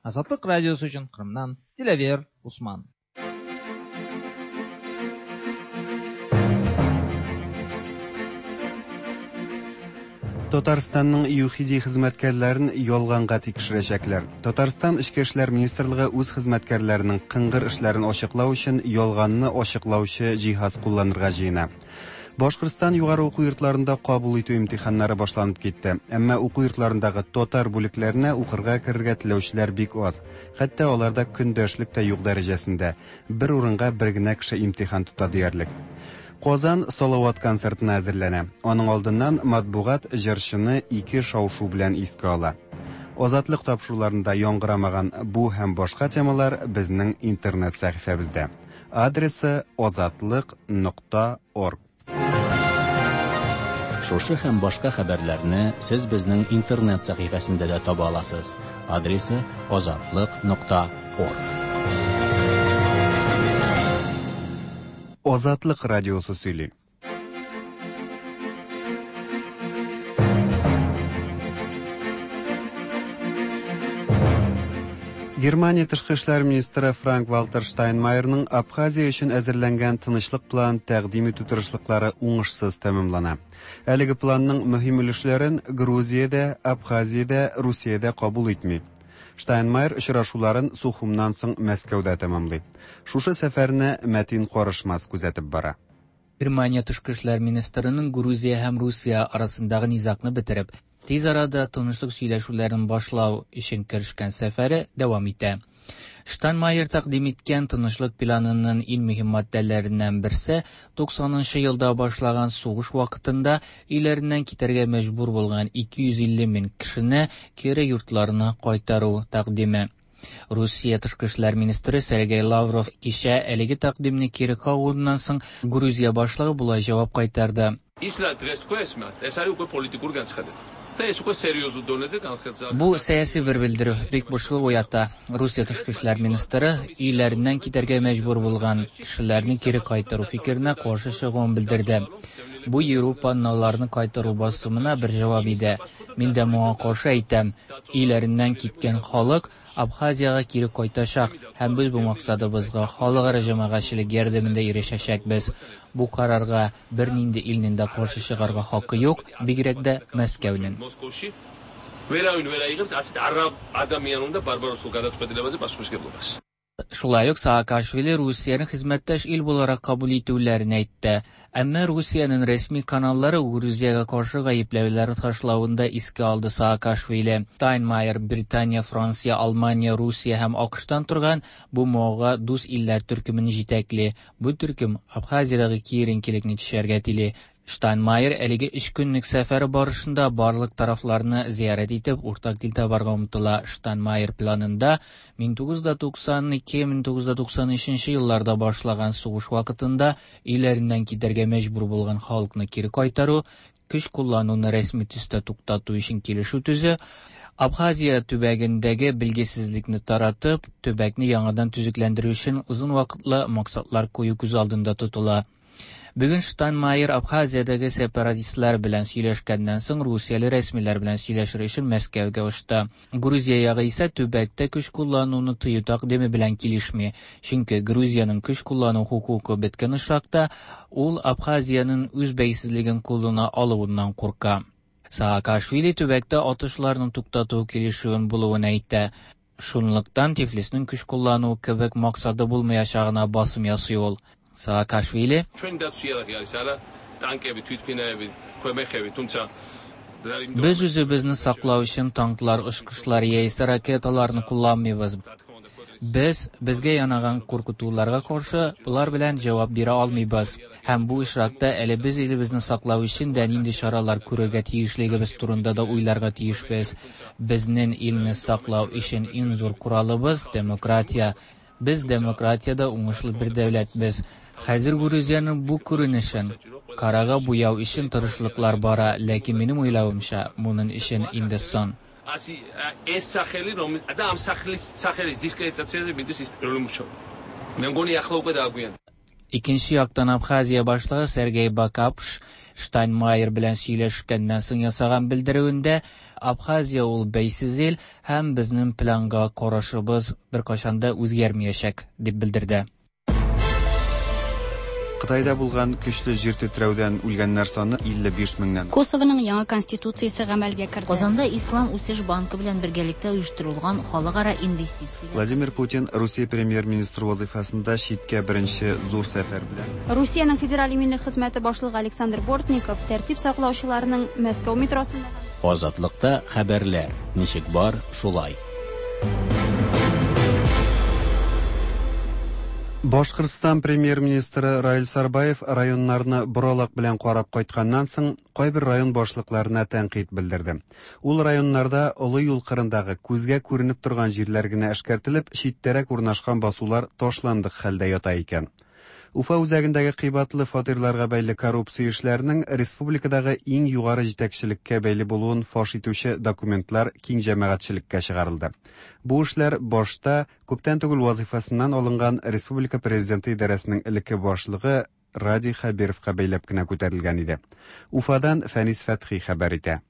Азатлык радиосы өчен Кырымнан Диләвер Усман. Татарстанның ЮХИДИ хезмәткәрләрен ялганга тикшерәчәкләр. Татарстан Эчке эшләр министрлыгы үз хезмәткәрләренең кыңгыр эшләрен ачыклау өчен ялганны ачыклаучы җиһаз кулланырга җыена. Башкортстан югары уку йортларында кабул итү имтиханнары башланып китте. Әмма уку йортларындагы татар бүлекләренә укырга керергә теләүчеләр бик аз. Хәтта аларда көндәшлек тә юк дәрәҗәсендә. Бер урынга бер генә кеше имтихан тота диярлек. Казан Салават концертына әзерләнә. Аның алдыннан матбугат җырчыны ике шау-шу белән искә ала. Азатлык тапшыруларында яңгырамаган бу һәм башка темалар безнең интернет сәхифәбездә. Адресы азатлык нокта орг. Шушы һәм башка хәбәрләрне сез безнең интернет сәхифәсендә дә таба аласыз. Адресы азатлык нокта орг. Азатлык радиосы сөйли. Германия тышкы эшләр министры Франк-Вальтер Штайнмайерның Абхазия өчен әзерләнгән тынычлык планын тәкъдим итү тырышлыклары уңышсыз тәмамлана. Әлеге планның мөһим өлешләрен Грузиядә, Абхазиядә, Русиядә кабул итми. Штайнмайер очрашуларын Сухумнан соң Мәскәүдә тәмамлый. Шушы сәфәрне Мәтин Карышмас күзәтеп бара. Германия тышкы эшләр министрының Грузия һәм Русия арасындагы низагны бетереп, тиз арада тынычлык сөйләшүләрен башлау өчен керешкән сәфәре дәвам итә. Штайнмайер тәкъдим иткән тынычлык планының иң мөһим маддәләреннән берсе туксанынчы елда башлаган сугыш вакытында өйләреннән китәргә мәҗбүр булган ике йөз илле мең кешене кире йортларына кайтару тәкъдиме. Русия тышкы эшләр министры Сергей Лавров кичә әлеге тәкъдимне кире кагуыннан соң Грузия башлыгы болай җавап кайтарды. Бу сәяси бер белдерү бик борчылу уята. Русия тышкы эшләр министры өйләреннән китәргә мәҗбүр булган кешеләрне кире кайтару фикеренә каршы чыгуын белдерде. Бу Европаның аларны кайтару басымына бер җавап иде. Мин дә моңа каршы әйтәм. Өйләреннән киткән халык Абхазиягә кире кайтачак һәм без бу максатыбызга халыкара җәмәгатьчелек ярдәмендә ирешәчәкбез. Бу карарга бернинди илнең дә каршы чыгарга хакы юк, бигрәк тә Мәскәүнең. Шулай ук Саакашвили Русияне хезмәттәш ил буларак кабул итүләрен әйтте. Әмма Русиянең рәсми каналлары Грузиягә каршы гаепләүләр ташлавын да искә алды Саакашвили. Штайнмайер Британия, Франция, Алмания, Русия һәм АКШтан торган бу моңа дус илләр төркемен җитәкли. Бу төркем Абхазиядәге киеренкелекне төшәргә тели. Штайнмайер әлеге өч көнлек сәфәре барышында барлык тарафларны зиярәт итеп, уртак тел табарга омтыла. Штайнмайер планында мең тугыз йөз туксан ике мең тугыз йөз туксан өченче елларда башлаган сугыш вакытында өйләреннән китәргә мәҗбүр булган халыкны кире кайтару, көч куллануны рәсми төстә туктату өчен килешү төзү, Абхазия төбәгендәге билгесезлекне таратып, төбәкне яңадан төзекләндерү өчен озын вакытлы максатлар кую күз алдында тотыла. Бүген Штайнмайер Абхазиядәге сепаратистлар белән сөйләшкәннән соң Русияле рәсмиләр белән сөйләшер өчен Мәскәүгә очты. Грузия ягы исә төбәктә көч куллануны тыю тәкъдиме белән килешми, чөнки Грузиянең көч куллану хокукы беткән очракта ул Абхазиянең үз бәйсезлеген кулына алуыннан курка. Саакашвили төбәктә атышларны туктату килешүен булуын әйтте. Шунлыктан Тифлиснең көч куллану кебек максаты булмаячагына басым ясый ул. Саакашвили Без үзебезне саклау өчен танклар, очкычлар яисә ракеталарны кулланмыйбыз. Без безгә янаган куркытуларга каршы болар белән җавап бирә алмыйбыз. Һәм бу очракта әле без илебезне саклау өчен дә нинди чаралар күрергә тиешлегебез турында да уйларга тиешбез. Безнең илне саклау өчен иң зур коралыбыз демократия. Без демократиядә уңышлы бер дәүләтбез. Хәзер Грузиянең бу күренешен карага буяу өчен тырышлыклар бара, ләкин минем уйлавымча, моның өчен инде соң. Икенче яктан Абхазия башлыгы Сергей Бакапш Штайнмайер белән сөйләшкәннән соң ясаган белдерүендә Абхазия ул бәйсез ил һәм безнең планга карашыбыз беркайчан да үзгәрмәячәк дип белдерде. Кытайда булган көчле җир тетрәүдән үлгәннәр саны илле биш меңнән. Косованың яңа конституциясе гамәлгә керде. Казанда Ислам үсеш банкы белән бергәлектә оештырылган халыкара инвестиция. Владимир Путин Русия премьер-министры вазифасында читкә беренче зур сәфәр белән. Русиянең федераль иминлек хезмәте башлыгы Александр Бортников тәртип саклаучыларның Мәскәү метросында Азатлыкта хәбәрләр ничек бар, шулай. Башкортстан премьер-министры Раил Сарбаев районнарны боралак белән карап кайтканнан соң кайбер район башлыкларына тәнкыйть белдерде. Ул районнарда олы юл кырындагы күзгә күренеп торган җирләр генә эшкәртелеп, читтәрәк урнашкан басулар ташландык хәлдә ята икән. Уфа үзәгендәге кыйбатлы фатирларга бәйле коррупция эшләренең республикадагы иң югары җитәкчелеккә бәйле булуын фаш итүче документлар киң җәмәгатьчелеккә чыгарылды. Бу эшләр башта күптән түгел вазифасыннан алынган республика президенты идарәсенең элекке башлыгы Радий Хәбировка бәйләп кенә күтәрелгән иде. Уфадан Фәнис Фәтхи хәбәр итә.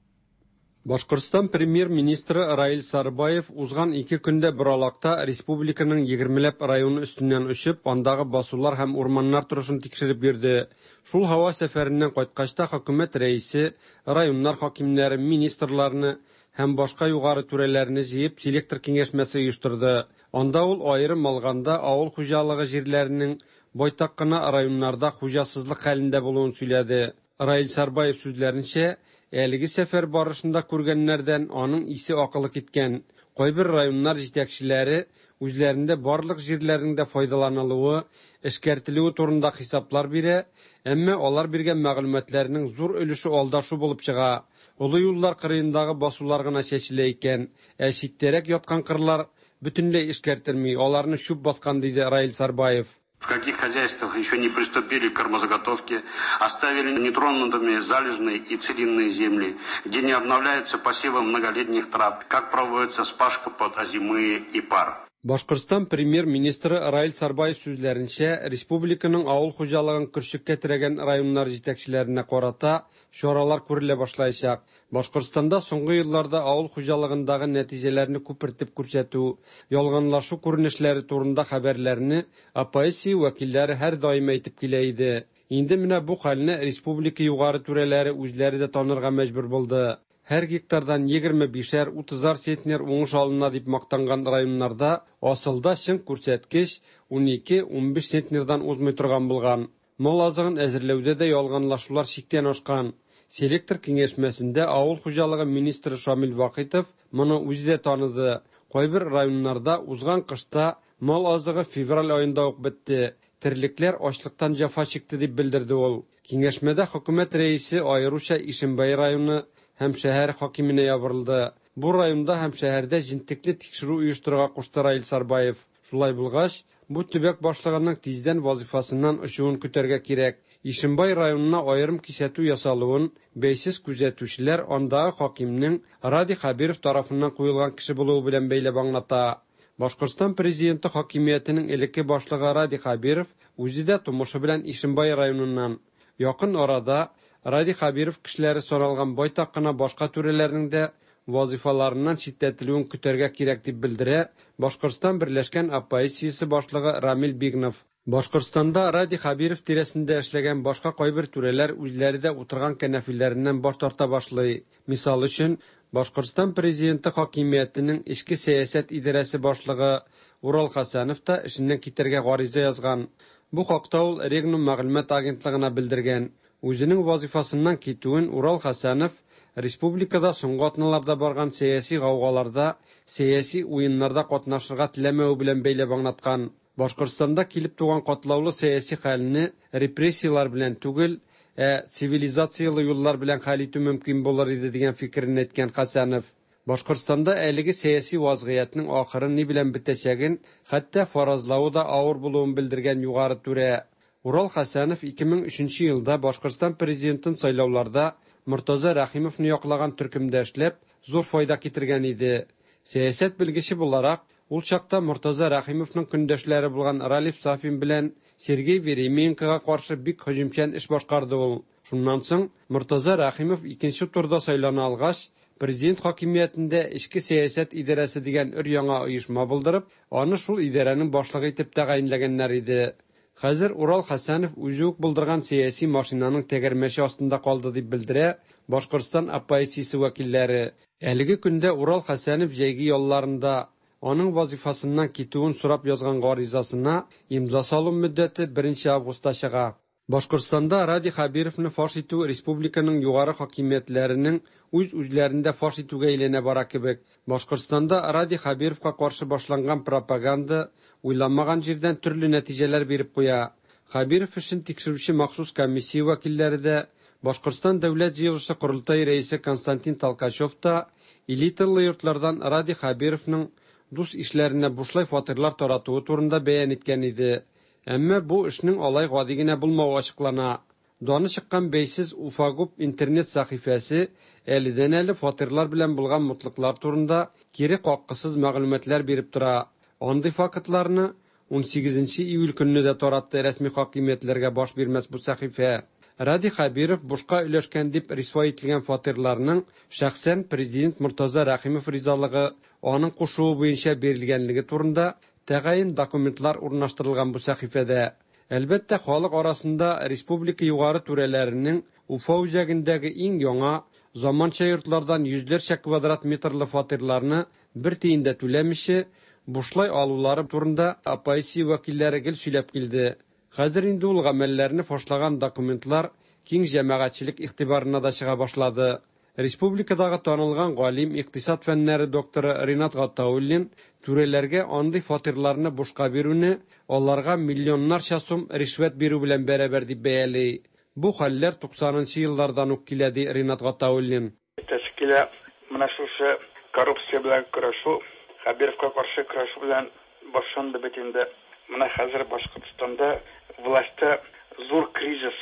Башкортстан премьер-министры Раил Сарбаев узган ике көндә Боралакта республиканың егермеләп районы өстеннән очып, андагы басулар һәм урманнар торышын тикшереп йөрде. Шул һава сәфәреннән кайткач та хөкүмәт рәисе районнар хакимнәре, министрларны һәм башка югары түрәләрне җыеп селектор киңәшмәсе оештырды. Анда ул аерым алганда авыл хуҗалыгы җирләренең байтак кына районнарда хуҗасызлык хәлендә булуын сөйләде. Раил Сарбаев сүзләренчә, әлеге сәфәр барышында күргәннәрдән аның исе акылы киткән. Кайбер районнар җитәкчеләре үзләрендә барлык җирләрнең дә файдаланылуы, эшкәртелүе турында хисаплар бирә, әмма алар биргән мәгълүматларның зур өлеше алдашу булып чыга. Олы юллар кырыендагы басулар гына чәчелә икән, ә читтәрәк яткан кырлар бөтенләй эшкәртелми, аларны чүп баскан, диде Раил Сарбаев. В каких хозяйствах еще не приступили к кормозаготовке, оставили нетронутыми залежные и целинные земли, где не обновляются посевы многолетних трав, как проводится спашка под озимые и пар. Башкортстан премьер-министры Раил Сарбаев сүзләренчә, республиканың авыл хуҗалыгын көршеккә терәгән районнар җитәкчеләренә карата чаралар күрелә башлаячак. Башкортстанда соңгы елларда авыл хуҗалыгындагы нәтиҗәләрне күпертеп күрсәтү, ялганлашу күренешләре турында хәбәрләрне оппозиция вәкилләре һәр даим әйтеп килә иде. Инде менә бу хәлне республика югары түрәләре үзләре дә танырга мәҗбүр булды. Һәр гектардан егерме бишәр, утызар центнер уңыш алына дип мактанган районнарда асылда чын күрсәткеч унике, унбиш центнердан узмый торган булган. Мал азыгын әзерләүдә дә ялганлашулар чиктән ашкан. Селектор киңәшмәсендә авыл хуҗалыгы министры Шамил Вахитов моны үзе дә таныды. Кайбер районнарда узган кышта мал азыгы февраль аенда ук бетте. Терлекләр ачлыктан җәфа чикте дип белдерде ул. Киңәшмәдә хөкүмәт рәисе аеруча Ишембай районы һәм шәһәр хакименә ябырылды. Бу районда һәм шәһәрдә җентекле тикшерү оештырырга кушты Раил Сарбаев. Шулай булгач, бу төбәк башлыгының тиздән вазифасыннан очуын көтәргә кирәк. Ишембай районына аерым кисәтү ясалуын бәйсез күзәтүчеләр андагы хакимнең Радий Хәбиров тарафыннан куелган кеше булуы белән бәйләп аңлата. Башкортстан президенты хакимиятенең элекке башлыгы Радий Хәбиров үзе дә тумышы белән Ишембай районыннан. Якын арада Радий Хәбиров кешеләре соралган байтак кына башка түрәләрнең дә вазифаларыннан читләтелүен көтәргә кирәк дип белдерә Башкортстан Берләшкән оппозициясе башлыгы Рамил Бигнов. Башкортстанда Радий Хәбиров тирәсендә эшләгән башка кайбер түрәләр үзләре дә утырган кәнәфиләреннән баш тарта башлый. Мисал өчен, Башкортстан президенты хакимиятенең эчке сәясәт идарәсе башлыгы Урал Хәсәнов та эшеннән китәргә гариза язган. Бу хакта ул Регнум мәгълүмат агентлыгына белдергән. Үзенең вазифасыннан китүен Урал Хәсәнов республикада соңгы атналарда барган сәяси гаугаларда, сәяси уеннарда катнашырга теләмәве белән бәйләп аңлаткан. Башкортстанда килеп туган катлаулы сәяси хәлне репрессияләр белән түгел, ә цивилизациялы юллар белән хәл итү мөмкин булыр иде дигән фикерен әйткән Хәсәнов. Башкортстанда әлеге сәяси вазгыятьнең ахыры ни белән бетәчәген, хәтта фаразлавы да авыр булуын белдергән югары түрә. Урал Хәсәнов ике мең өченче елда Башкортстан президентын сайлауларда Мортаза Рәхимовны яклаган төркемдә эшләп, зур файда китергән иде. Сәясәт белгече буларак, ул чакта Мортаза Рәхимовның көндәшләре булган Ралиф Сафин белән Сергей Веременкога каршы бик һөҗүмчән эш башкарды ул. Шуннан соң Мортаза Рәхимов икенче турда сайлана алгач, президент хакимиятендә эчке сәясәт идарәсе дигән өр-яңа оешма булдырып, аны шул идарәнең башлыгы итеп тәгаенләгәннәр иде. Хәзер Урал Хәсәнов үзе үк булдырган сәяси машинаның тәгәрмәче астында калды, дип белдерә Башкортстан оппозициясе вәкилләре. Әлеге көндә Урал Хәсәнов җәйге ялларында. Аның вазифасыннан китүен сорап язган гаризасына имза салу мөддәте беренче августта чыга. Башкортстанда Радий Хәбировны фаш итү республиканың югары хакимиятләренең үз-үзләрен дә фаш итүгә әйләнә бара кебек. Башкортстанда Радий Хәбировка каршы башланган пропаганда уйламаган җирдән төрле нәтиҗәләр биреп куя. Хәбиров эшен тикшерүче махсус комиссия вәкилләре дә, Башкортстан Дәүләт җыелышы Корылтай рәисе Константин Толкачев та элиталы йортлардан Радий Хәбировның дус ишләренә бушлай фатирлар таратуы турында бәян иткән иде. Әмма бу эшнең алай гади генә булмавы ачыклана. Даны чыккан бәйсез Уфагуб интернет сәхифәсе әледән-әле фатирлар белән булган мутлыклар турында кире каккысыз мәгълүматлар биреп тора. Андый фактларны унсигезенче июль көнне дә таратты рәсми хакимиятләргә баш бирмәс бу сәхифә. Радий Хәбиров бушка өләшкән дип рисва ителгән фатирларның шәхсән президент Мортаза Рәхимов ризалыгы, аның кушуы буенча бирелгәнлеге турында тәгаен документлар урнаштырылган бу сәхифәдә. Әлбәттә, халык арасында республика югары түрәләренең Уфа үзәгендәге иң яңа заманча йортлардан йөзләрчә квадрат метрлы фатирларны бер тиен дә түләмичә бушлай алулары турында оппозиция вәкилләре гел сөйләп килде. Хәзер инде ул гамәлләрне фашлаган документлар киң җәмәгатьчелек игътибарына да чыга башлады. Республикадагы танылган галим, икътисад фәннәре докторы Ринат Гатауллин түрәләргә андый фатирларны бушка бирүне аларга миллионнарча сум ришвәт бирү белән бәрабәр дип бәяли. Бу хәлләр туксанынчы еллардан ук килә, ди Ринат Гатауллин. Тәшкилә менә шушы коррупция белән көрәшү, Хәбировка каршы көрәшү белән башланды бит инде. Менә хәзер Башкортстанда властьта зур кризис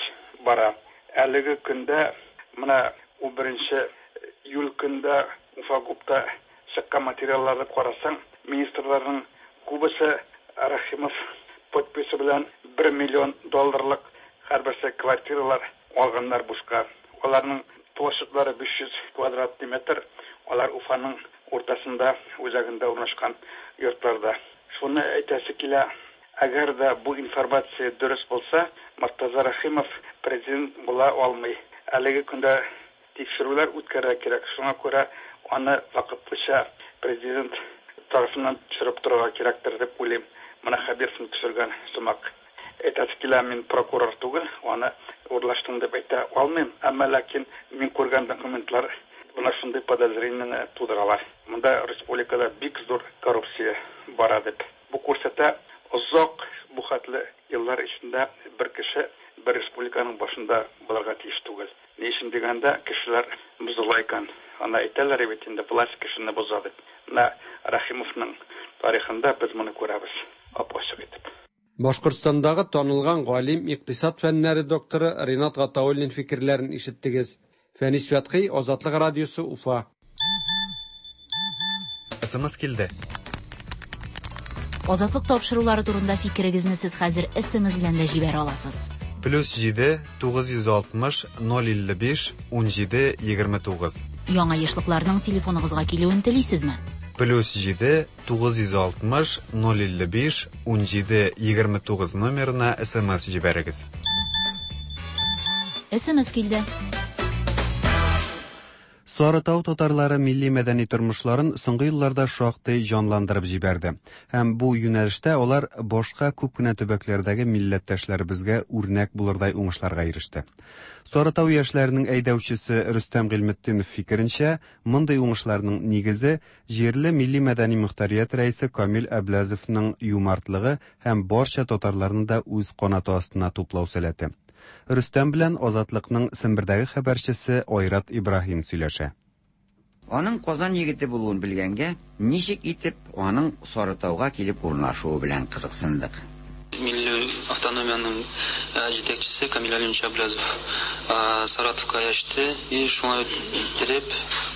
бара. Әлеге көндә менә унберенче июль көндә Уфагубта чыккан материалларны карасаң, министрларның күбесе Рәхимов подписи белән бер миллион долларлык һәрберсе квартиралар алганнар бушка. Аларның площадьлары биш йөз квадрат метр. Алар Уфаның уртасында, үзәгендә урнашкан йортларда. Шуны әйтәсе килә, әгәр дә бу информация дөрес булса, Мортаза Рәхимов президент була алмый. Әлеге көндә тикшерүләр үткәрергә кирәк. Шуңа күрә аны вакытлыча президент тарафыннан төшереп торырга кирәктер дип уйлыйм. Менә Хәбировны төшергән сымак. Әйтәсе килә, мин прокурор түгел, аны урлаштым дип әйтә алмыйм. Әмма ләкин мин күргән документлар менә шундый подозрениене тудыралар. Монда республикада бик зур коррупция бара дип. Бу күрсәтә, озак бу хәтле еллар эчендә бер кеше бер республиканың башында булырга тиеш түгел. Ни өчен дигәндә, кешеләр бозыла икән. Аны әйтәләр бит инде, власть кешене боза дип. Менә Рәхимовның тарихында без моны күрәбез, ап-ачык итеп. Башкортстандагы танылган галим, икътисад фәннәре докторы Ринат Гатауллин фикерләрен ишеттегез. Фәнис Фәтхи, Азатлык радиосы, Уфа. СМС килде. Азатлык тапшырулары турында фикерегезне сез хәзер СМС белән дә җибәрә аласыз. Плюс җиде, тугыз йөз алтмыш, ноль илле биш, ун җиде, егерме тугыз. Яңа ешлыкларның телефоныгызга килүен телисезме? Плюс җиде, тугыз йөз алтмыш, ноль илле биш, ун җиде, егерме тугыз номерына СМС җибәрегез. СМС килде. Сарытау татарлары милли мәдәни тормышларын соңгы елларда шактый җанландырып җибәрде. Һәм бу юнәлештә алар башка күп кенә төбәкләрдәге милләттәшләребезгә үрнәк булырдай уңышларга иреште. Сарытау яшьләренең әйдәүчесе Рөстәм Гыйльметдинов фикеренчә, мондый уңышларның нигезе җирле милли мәдәни мөхтәрият рәисе Камил Әбләзовның юмартлыгы һәм барча татарларны да үз канаты астына туплау сәләте. Рөстәм белән Азатлыкның Сембердәге хәбәрчесе Айрат Ибраһим сөйләшә. Аның Казан егете булуын белгәнгә, ничек итеп аның Сарытауга килеп урнашуы белән кызыксындык. Милли автономиянең җитәкчесе Камил Алимович Әбләзов Саратовка яште, и шуңа иттереп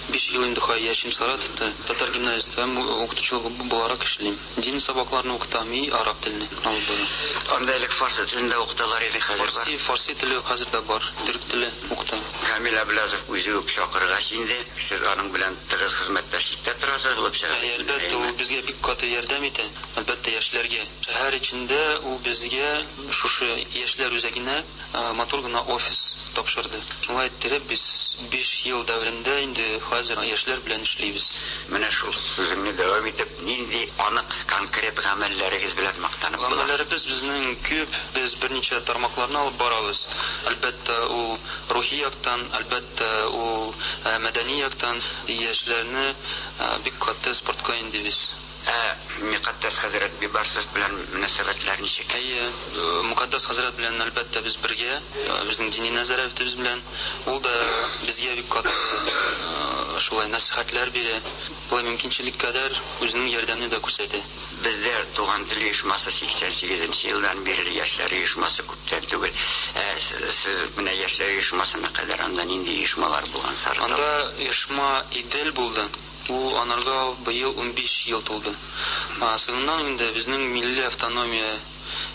Биш ел инде хай яшим Саратовта. Татар гимназиясендә укытучы буларак эшлим. Дин сабакларын укытам и араб телен алып барам. Анда элек фарсы телендә укыталар иде, хәзер бар. Фарси, фарси теле хәзер дә бар. Төрек теле укытам. Камил Әбләзов үзе үк чакыргач инде, сез аның белән тыгыз хезмәттәшлектә торасыз булып чыга. Әй, әлбәттә, ул безгә бик каты ярдәм итә. Әлбәттә, яшьләргә. Шәһәр эчендә ул безгә шушы яшьләр үзәгенә матур гына офис тапшырды. Шулай иттереп без биш ел дәверендә инде хәзер яшьләр белән эшлибез. Менә шул сүзеңне дәвам итеп, нинди анык конкрет гамәлләрегез белән мактанып була? Гамәлләребез безнең күп, без берничә тармакларны алып барабыз. Әлбәттә, ул рухи яктан, әлбәттә, ул мәдәни яктан яшьләрне бик каты спортка индибез. Ә Мөкаддәс хәзрәт Бибарсов белән мөнәсәбәтләр ничек? Әйе, Мөкаддәс хәзрәт белән әлбәттә без бергә, безнең дини нәзарәтебез белән. Ул да безгә бик каты шулай нәсихәтләр бирә. Болай мөмкинчелек кадәр үзенең ярдәмен дә күрсәтә. Бездә Туган тел оешмасы сиксән сигезенче елдан бирле, яшьләр оешмасы күптән түгел. Ә сез менә яшьләр оешмасына кадәр анда нинди оешмалар булган Сарытау? Анда оешма Идел булды. Ул анарга быел унбиш ел тулды. Соңыннан инде безнең милли автономия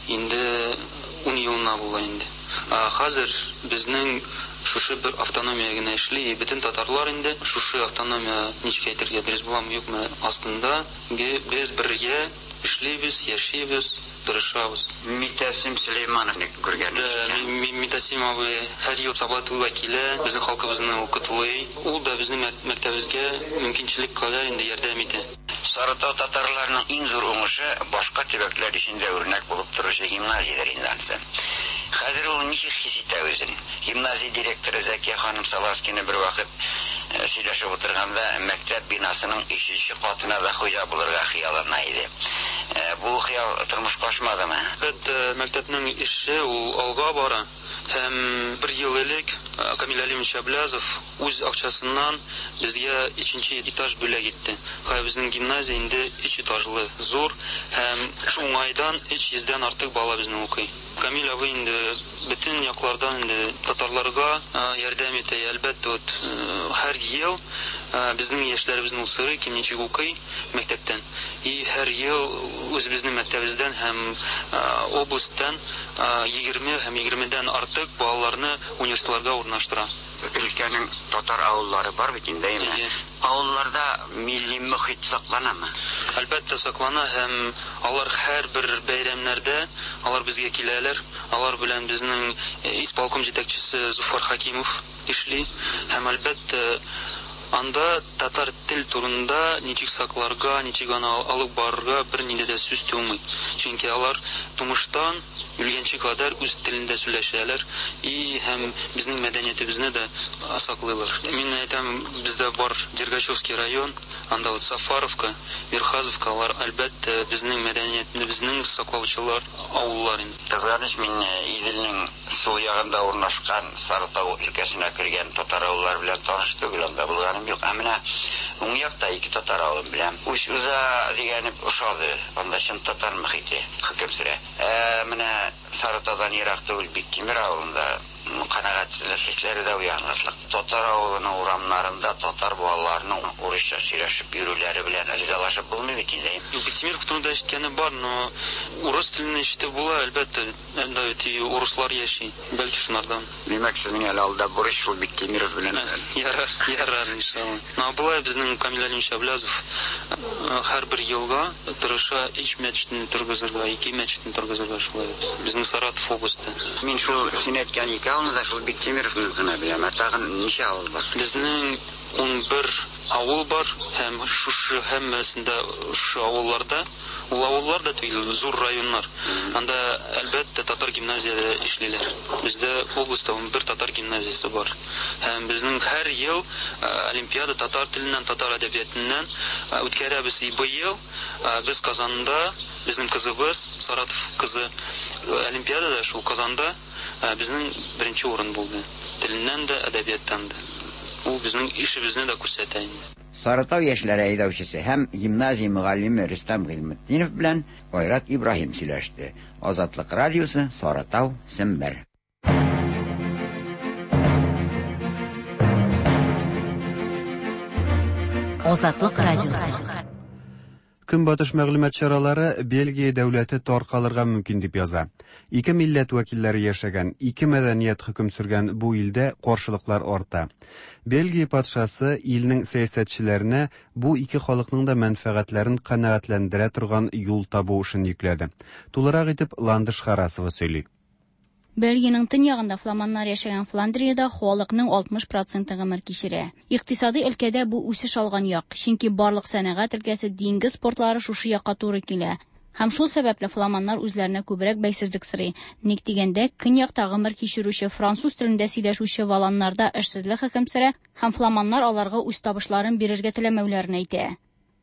инде ун елына була инде. Хәзер безнең шушы бер автономия генә эшли, бөтен татарлар инде шушы автономия, ничек әйтергә дөрес буламы юкмы, астында без бергә эшлибез, яшибез, тырышабыз. Митәсим Сөләймановны күргән. Митәсим абый һәр ел Сабантуйга килә, безнең халкыбызны укытылый. Ул да безнең мәктәбебезгә мөмкинчелек кадәр инде ярдәм итә. Сарытау татарларының иң зур уңышы башка төбәкләр өчен дә үрнәк булып торучы гимназиядер инде ансы. Хәзер ул ничек хис итә үзен? Гимназия директоры Зәкия ханым Саласкина бер вакыт сөйләшеп утырганда мәктәп бинасының өченче катына да хуҗа булырга хыяллана иде. Бу хыял тормышка ашмадымы? Әлбәттә, мәктәпнең эше ул алга бара. Һәм бер ел элек Камил Алимович Әбләзов үз акчасыннан безгә өченче этаж бүләк итте. Хәзер безнең гимназия инде өч этажлы, зур, һәм шул уңайдан өч йөздән артык бала безнең укый. Камил абый инде бөтен яклардан инде татарларга ярдәм итә. Әлбәттә, вот һәр ел безнең яшьләребезнең усыры кем ничек укый мәктәптән. И һәр ел үзебезнең мәктәбебездән һәм областьтан егерме һәм егермедән артык балаларны университетларга урнаштыра. Өлкәнең татар авыллары бар бит инде, әйме? Авылларда милли мөхит сакланамы? Әлбәттә саклана, һәм алар һәрбер бәйрәмнәрдә алар безгә киләләр. Алар белән безнең исполком җитәкчесе Зуфар Хакимов эшли, һәм әлбәттә анда татар тел турында ничек сакларга, ничек аны алып барырга бер нинди дә сүз тумый. Чөнки алар тумыштан үлгәнче кадәр үз телендә сөйләшәләр и һәм безнең мәдәниятебезне дә саклыйлар. Мин әйтәм, бездә бар Дергачевский район, анда вот Сафаровка, Верхазовка, алар әлбәттә безнең мәдәниятебезнең саклаучылар авыллар инде. Кызганыч, мин Иделнең сул ягында урнашкан Сарытау өлкәсенә кергән татар авыллары белән таныш түгел, анда булганым юк. Ә менә уң якта ике татар авылын беләм. Уч-Уза дигәне ошады, анда чын татар мөхите хөкем сөрә. Ә менә Сарытаудан ерак түгел Биктимер авылында канәгатьсезлек хисләре дә уянырлык. Татар авылының урамнарында татар балаларының урысча сөйләшеп йөрүләре белән ризалашып булмый бит инде. Биктимер турында ишеткәне бар, но урыс телен ишетеп була, әлбәттә, анда бит урыслар яши, бәлки шунардан. Димәк, сезнең әле алда бурыч шул Биктимиров белән. Ярар, ярар, иншалла. Но болай безнең Камил Алимович Әбләзов һәрбер елга тырыша өч мәчетне торгызырга, ике мәчетне торгызырга шулай. Безнең Саратов областе. Мин шул син әйткән ике авылны да шул Биктимировны гына беләм. Ә тагын ничә авыл бар? Безнең ун бер авыл бар, һәм шушы һәммәсендә шушы авылларда, ул авыллар да түгел, зур районнар. Анда әлбәттә татар гимназияләре эшлиләр. Бездә областьта ун бер татар гимназиясе бар. Һәм безнең һәр ел олимпиада татар теленнән, татар әдәбиятыннан үткәрәбез. И быел без Казанда, безнең кызыбыз, Саратов кызы, олимпиадада шул Казанда безнең беренче урын булды. Теленнән дә, әдәбияттан да. Ул безнең ишебезне дә күрсәтә инде. Сарытау яшьләре әйдәүчесе һәм гимназия мөгаллиме Рөстәм Гыйльметдинов белән Айрат Ибраһим сөйләште. Азатлык радиосы, Сарытау, Сембер. Азатлык радиосы. Көнбатыш мәгълүмат чаралары Бельгия дәүләте таркалырга мөмкин дип яза. Ике милләт вәкилләре яшәгән, ике мәдәният хөкем сөргән бу илдә каршылыклар арта. Бельгия патшасы илнең сәясәтчеләренә бу ике халыкның да мәнфәгатьләрен канәгатьләндерә торган юл табу эшен йөкләде. Тулырак итеп Ландыш Харасова сөйли. Бельгиянең төньягында фламаннар яшәгән Фландриядә халыкның алтмыш проценты гомер кичерә. Икътисади өлкәдә бу үсеш алган як, чөнки барлык сәнәгать өлкәсе, диңгез портлары шушы якка туры килә. Һәм шул сәбәпле фламаннар үзләренә күбрәк бәйсезлек сорый. Ник дигәндә, көньякта гомер кичерүче француз телендә сөйләшүче валаннарда эшсезлек хөкем сөрә һәм фламаннар аларга үз табышларын бирергә теләмәүләрен әйтә.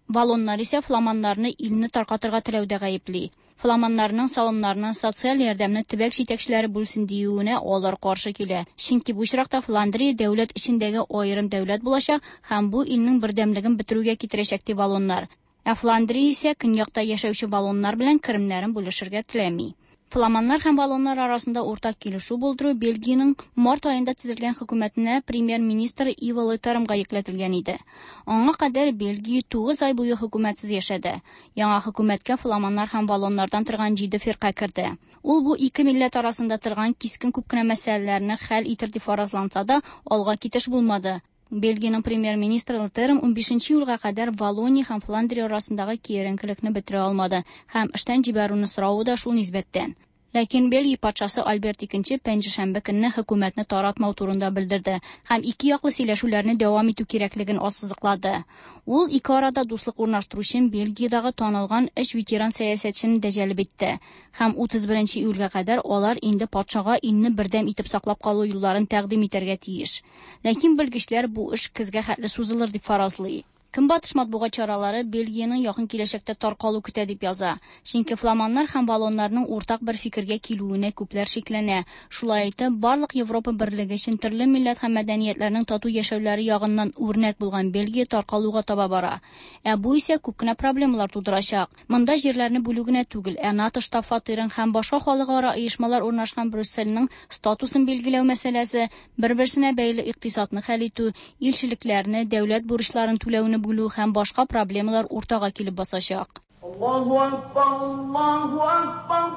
Валоннар исә фламаннарны илне таркатырга теләүдә гаепли. Фламаннарның салымнарны, социаль ярдәмне төбәк җитәкчеләре бүлсен диюенә алар каршы килә. Чөнки бу очракта Фландрия дәүләт эчендәге аерым дәүләт булачак һәм бу илнең бердәмлеген бетерүгә китерәчәк ди валоннар. Ә Фландрия исә көньякта яшәүче валоннар белән керемнәрен бүлешергә теләми. Фламаннар һәм валоннар арасында уртак килешү булдыру Бельгиянең март аенда төзелгән хөкүмәтенә премьер-министр Иво Летермга йөкләтелгән иде. Аңа кадәр Бельгия тугыз ай буе хөкүмәтсез яшәде. Яңа хөкүмәткә фламаннар һәм валоннардан торган җиде фирка керде. Ул бу ике милләт арасында торган кискен күп кенә мәсьәләләрне хәл итер дип фаразланса да, алга китеш булмады. Бельгиянең премьер-министры Летерм унбишенче июльгә кадәр Валония һәм Фландрия арасындагы киеренкелекне бетерә алмады һәм эштән җибәрүне соравы да шул нисбәттән. Ләкин Бельгия патшасы Альберт икенче пәнҗешәмбе көнне хөкүмәтне таратмау турында белдерде һәм ике яклы сөйләшүләрне дәвам итү кирәклеген ассызыклады. Ул ике арада дуслык урнаштыру өчен Бельгиядәге танылган өч ветеран сәясәтчене дә җәлеп итте һәм утыз беренче июльгә кадәр алар инде патшага илне бердәм итеп саклап калу юлларын тәкъдим итәргә тиеш. Ләкин белгечләр бу эш көзгә хәтле сузылыр дип фаразлый. Көнбатыш матбугат чаралары Бельгиянең якын киләчәктә таркалу көтә дип яза. Чөнки фламаннар һәм валоннарның уртак бер фикергә килүенә күпләр шикләнә. Шулай итеп, барлык Европа берлеге өчен төрле милләт һәм мәдәниятләрнең тату яшәүләре ягыннан үрнәк булган Бельгия таркалуга таба бара. Ә бу исә күп кенә проблемалар тудырачак. Монда җирләрне бүлү генә түгел, ә НАТО штаб-фатирын һәм башка халыкара оешмалар урнашкан Брюссельнең статусын билгеләү мәсьәләсе, бер-берсенә бәйле икътисадны хәл итү, илчелекләрне, дәүләт бурычларын түләүне бүлү һәм башка проблемалар уртага килеп басачак. Аллаһу акбар, Аллаһу акбар,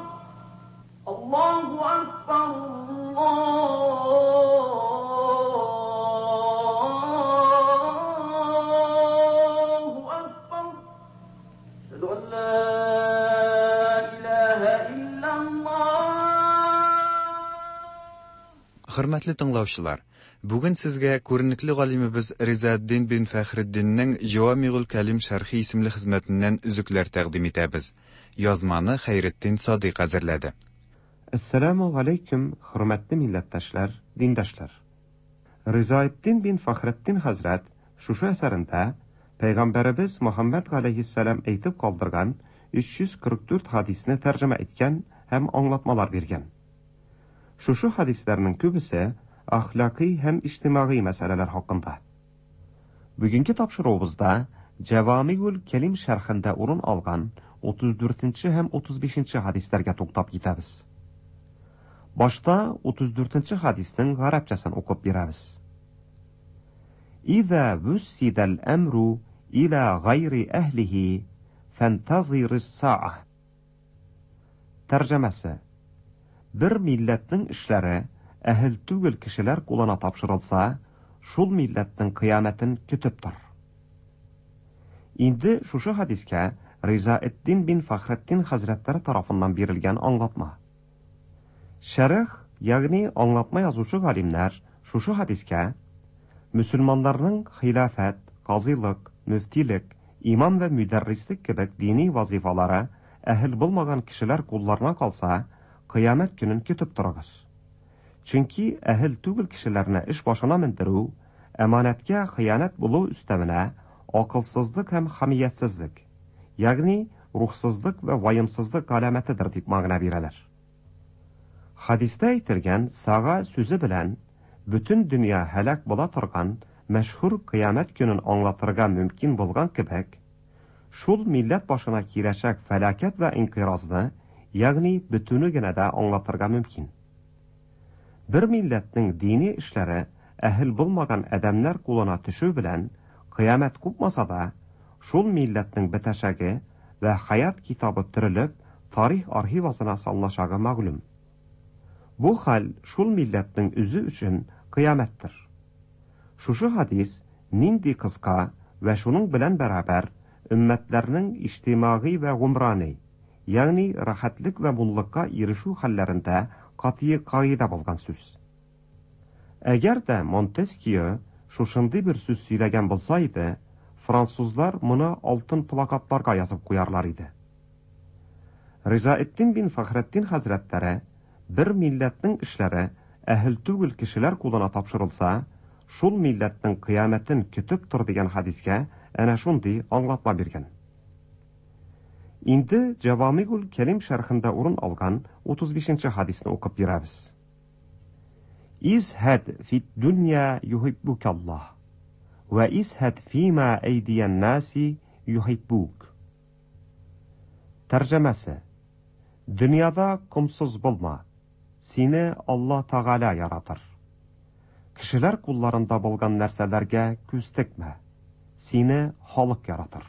Аллаһу акбар, Аллаһу акбар. Әшһәду ан ла илаһа иллаллаһ. Хөрмәтле тыңлаучылар, бүген сезгә күренекле галимебез Ризаэддин бин Фәхретдиннең Җавамигул Кәлим шәрхи исемле хезмәтеннән өзекләр тәкъдим итәбез. Язманы Хәйретдин Садыйк әзерләде. Әссәламу алейкум, хөрмәтле милләттәшләр, диндашлар. Ризаэддин бин Фәхретдин хәзрәт шушы әсәрендә Пәйгамбәребез Мөхәммәд галәйһиссәлам әйтеп калдырган өч йөз кырык дүрт хадисне тәрҗемә иткән һәм аңлатмалар биргән. Шушы хадисләрнең күбесе әхлакый һәм иҗтимагый мәсьәләләр хакында. Бүгенге тапшыруыбызда Җавамигул Кәлим шәрхендә урын алган утыз дүртенче һәм утыз бишенче хадисләргә туктап китәбез. Башта утыз дүртенче хадиснең гарәпчәсен укып бирәбез. Иза вуссидал әмру иля гайри әһлихи фантазирис саа. Тәрҗемәсе: бер милләтнең эшләре әһел түгел кешеләр кулына тапшырылса, шул милләтнең кыямәтен көтеп тор. Инде шушы хадискә Ризаэддин бин Фәхретдин хәзрәтләре тарафыннан бирелгән аңлатма. Шәрх, ягъни аңлатма язучы галимнәр шушы хадискә мөселманнарның хилафәт, казыйлык, мөфтилек, имам вә мөдәррислек кебек дини вазифалары әһел булмаган кешеләр кулларына калса, кыямәт көнен көтеп торыгыз. Чөнки әһел түгел кешеләрне эш башына мендерү, әманәткә хыянәт булу өстәвенә акылсызлык һәм хамиятсезлек, ягъни рухсызлык вә ваемсызлык галәмәтедер дип мәгънә бирәләр. Хадистә әйтелгән сага сүзе белән бөтен дөнья һәлак була торган мәшһүр кыямәт көнен аңлатырга мөмкин булган кебек, шул милләт башына киләчәк фәлакәт вә инкыйразны, ягъни бөтүне генә дә аңлатырга мөмкин. Бер милләтнең дини эшләре әһел булмаган адәмнәр кулына төшү белән Кыямәт купмаса да, шул милләтнең бетәчәге вә хаят китабы төрелеп, тарих архивасына салыначагы мәгълүм. Бу хәл шул милләтнең үзе өчен кыямәттер. Шушы хадис нинди кыска вә шуның белән бәрабәр өммәтләрнең иҗтимагый вә гумрани, ягъни рәхәтлек вә муллыкка ирешү хәлләрендә катгый кагыйдә булган сүз. Әгәр дә Монтескье шушындый бер сүз сөйләгән булса иде, французлар моны алтын плакатларга язып куярлар иде. Ризаэддин бин Фәхретдин хәзрәтләре бер милләтнең эшләре әһел түгел кешеләр кулына тапшырылса, шул милләтнең кыямәтен көтеп тор дигән хадискә әнә шундый аңлатма биргән. Инде Җавамигул Кәлим шәрхендә урын алган утыз бишенче хадисне укып бирәбез. Изһәд фид дөнья юһиббукаллаһ вә изһәд фима әйдиян наси юһиббук. Тәрҗемәсе: Дөньяда комсыз булма, сине Алла Тәгалә яратыр. Кешеләр кулларында булган нәрсәләргә күз текмә, сине халык яратыр.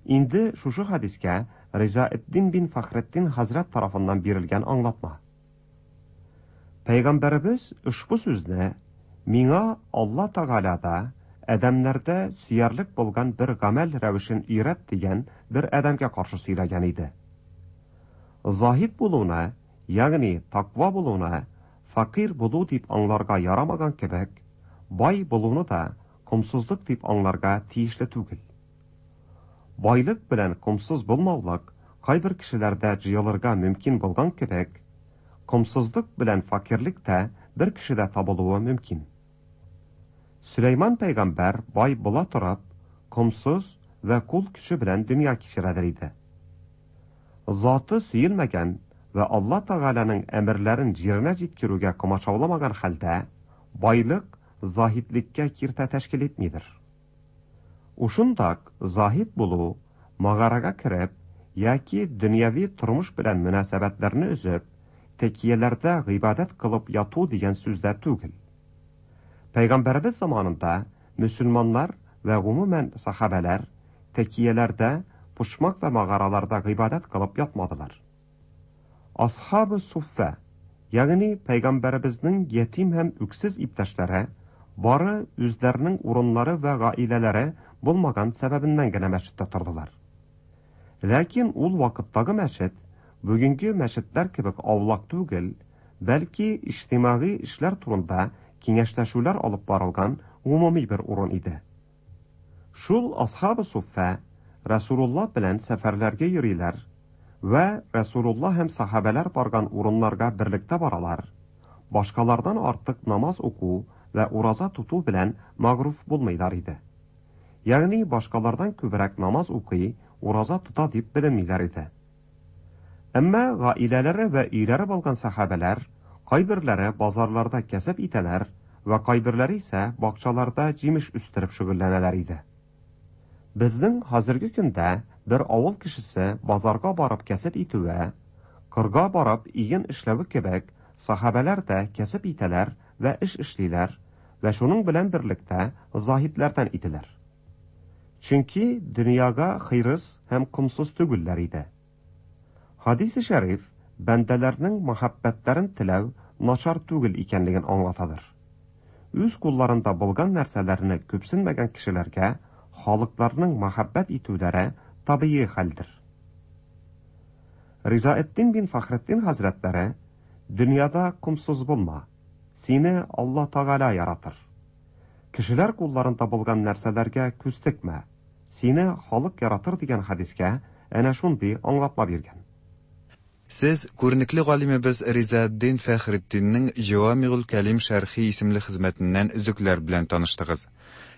Инде шушы хадискә Ризаэддин бин Фәхретдин хәзрәт тарафыннан бирелгән аңлатма. Пәйгамбәребез ошбу сүзне миңа Алла Тәгаләдә адәмнәрдә сөярлек булган бер гамәл рәвешен өйрәт дигән бер адәмгә каршы сөйләгән иде. Заһид булуны, ягъни таква булуны, факир булу дип аңларга ярамаган кебек, бай булуны да комсызлык дип аңларга тиешле түгел. Байлык белән комсыз булмаулык кайбер кешеләрдә җыелырга мөмкин булган кебек, комсызлык белән факирлек тә бер кешедә табылуы мөмкин. Сөләйман пәйгамбәр бай була торып, комсыз вә кул көче белән дөнья кичерәдер иде. Заты сөелмәгән вә Алла Тәгаләнең әмерләрен җиренә җиткерүгә комачауламаган хәлдә, байлык заһидлеккә киртә тәшкил итмидер. Ушындак заһид булу, магарага кереп, яки дөньяви тормыш белән мөнәсәбәтләрне өзеп, тәкияләрдә гыйбадәт кылып яту дигән сүздә түгел. Пәйгамбәребез заманында мөселманнар вә гомумән сахабәләр тәкияләрдә, пушмак вә магараларда гыйбадәт кылып ятмадылар. Асхабы суффә, ягъни пәйгамбәребезнең ятим һәм үксез иптәшләре, бары үзләренең урыннары вә гаиләләре булмаган сәбәбеннән генә мәчеттә тордылар. Ләкин ул вакыттагы мәчет бүгенге мәчетләр кебек аулак түгел, бәлки иҗтимагый эшләр турында киңәшләшүләр алып барылган гомуми бер урын иде. Шул асхабы суффә Расулулла белән сәфәрләргә йөриләр вә Расулулла һәм сахабәләр барган урыннарга берлектә баралар. Башкалардан артык намаз уку вә ураза тоту белән мәгъруф булмыйлар иде. Ягъни башкалардан күбрәк намаз укый, ураза тота дип беленмиләр иде. Әмма гаиләләре вә өйләре булган сахабәләр кайберләре базарларда кәсеп итәләр вә кайберләре исә бакчаларда җимеш үстереп шөгыльләнәләр иде. Безнең хәзерге көндә бер авыл кешесе базарга барып кәсеп итүе, кырга барып иген эшләве кебек, сахабәләр дә кәсеп итәләр вә эш эшлиләр вә шуның белән берлектә заһидләрдән иделәр. Чөнки дөньяга хирыс һәм комсыз түгелләр иде. Хадис-и шәриф бәндәләрнең мәхәббәтләрен теләү начар түгел икәнлеген аңлатадыр. Үз кулларында булган нәрсәләрне күпсенмәгән кешеләргә халыкларның мәхәббәт итүләре табигый хәлдер. Ризаэддин бин Фәхретдин хәзрәтләре дөньяда комсыз булма, сине Алла Тәгалә яратыр. Кешеләр кулларында булган нәрсәләргә күз текмә, сине халык яратыр дигән хадискә әнә шундый аңлатма биргән. Сез күренекле галимебез Ризаэддин Фәхретдиннең Җавамигул Кәлим шәрхи исемле хезмәтеннән өзекләр белән таныштыгыз.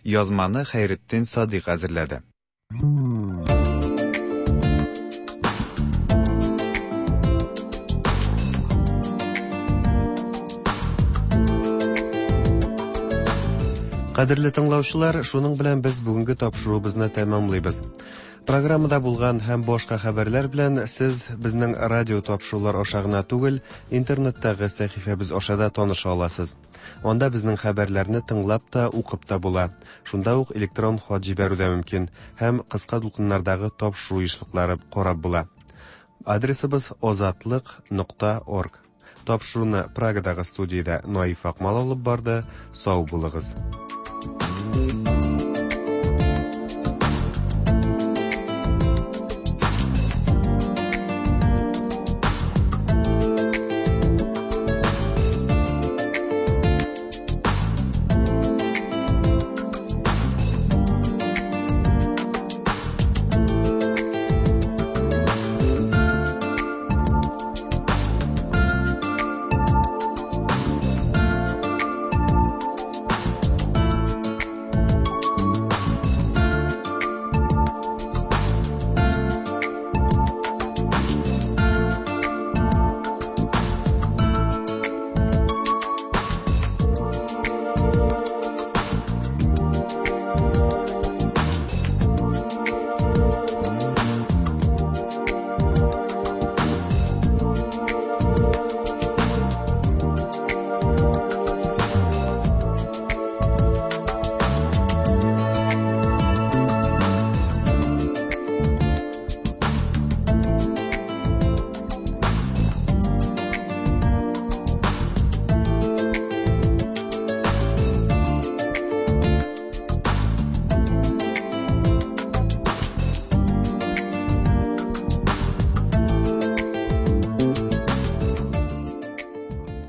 Язманы Хәйретдин Садыйк әзерләде. Кадерле тыңлаучылар, шуның белән без бүгенге тапшыруыбызны тәмамлыйбыз. Программада булган һәм башка хәбәрләр белән сез безнең радио тапшырулар аша гына түгел, интернеттагы сәхифәбез аша да таныша аласыз. Анда безнең хәбәрләрне тыңлап та, укып та була. Шунда ук электрон хат җибәрү дә мөмкин һәм кыска дулкыннардагы тапшыру ешлыклары карап була. Адресыбыз озатлык нокта орг. Тапшыруны Прагадагы студиядә Наиф Акмал алып барды. Сау булыгыз.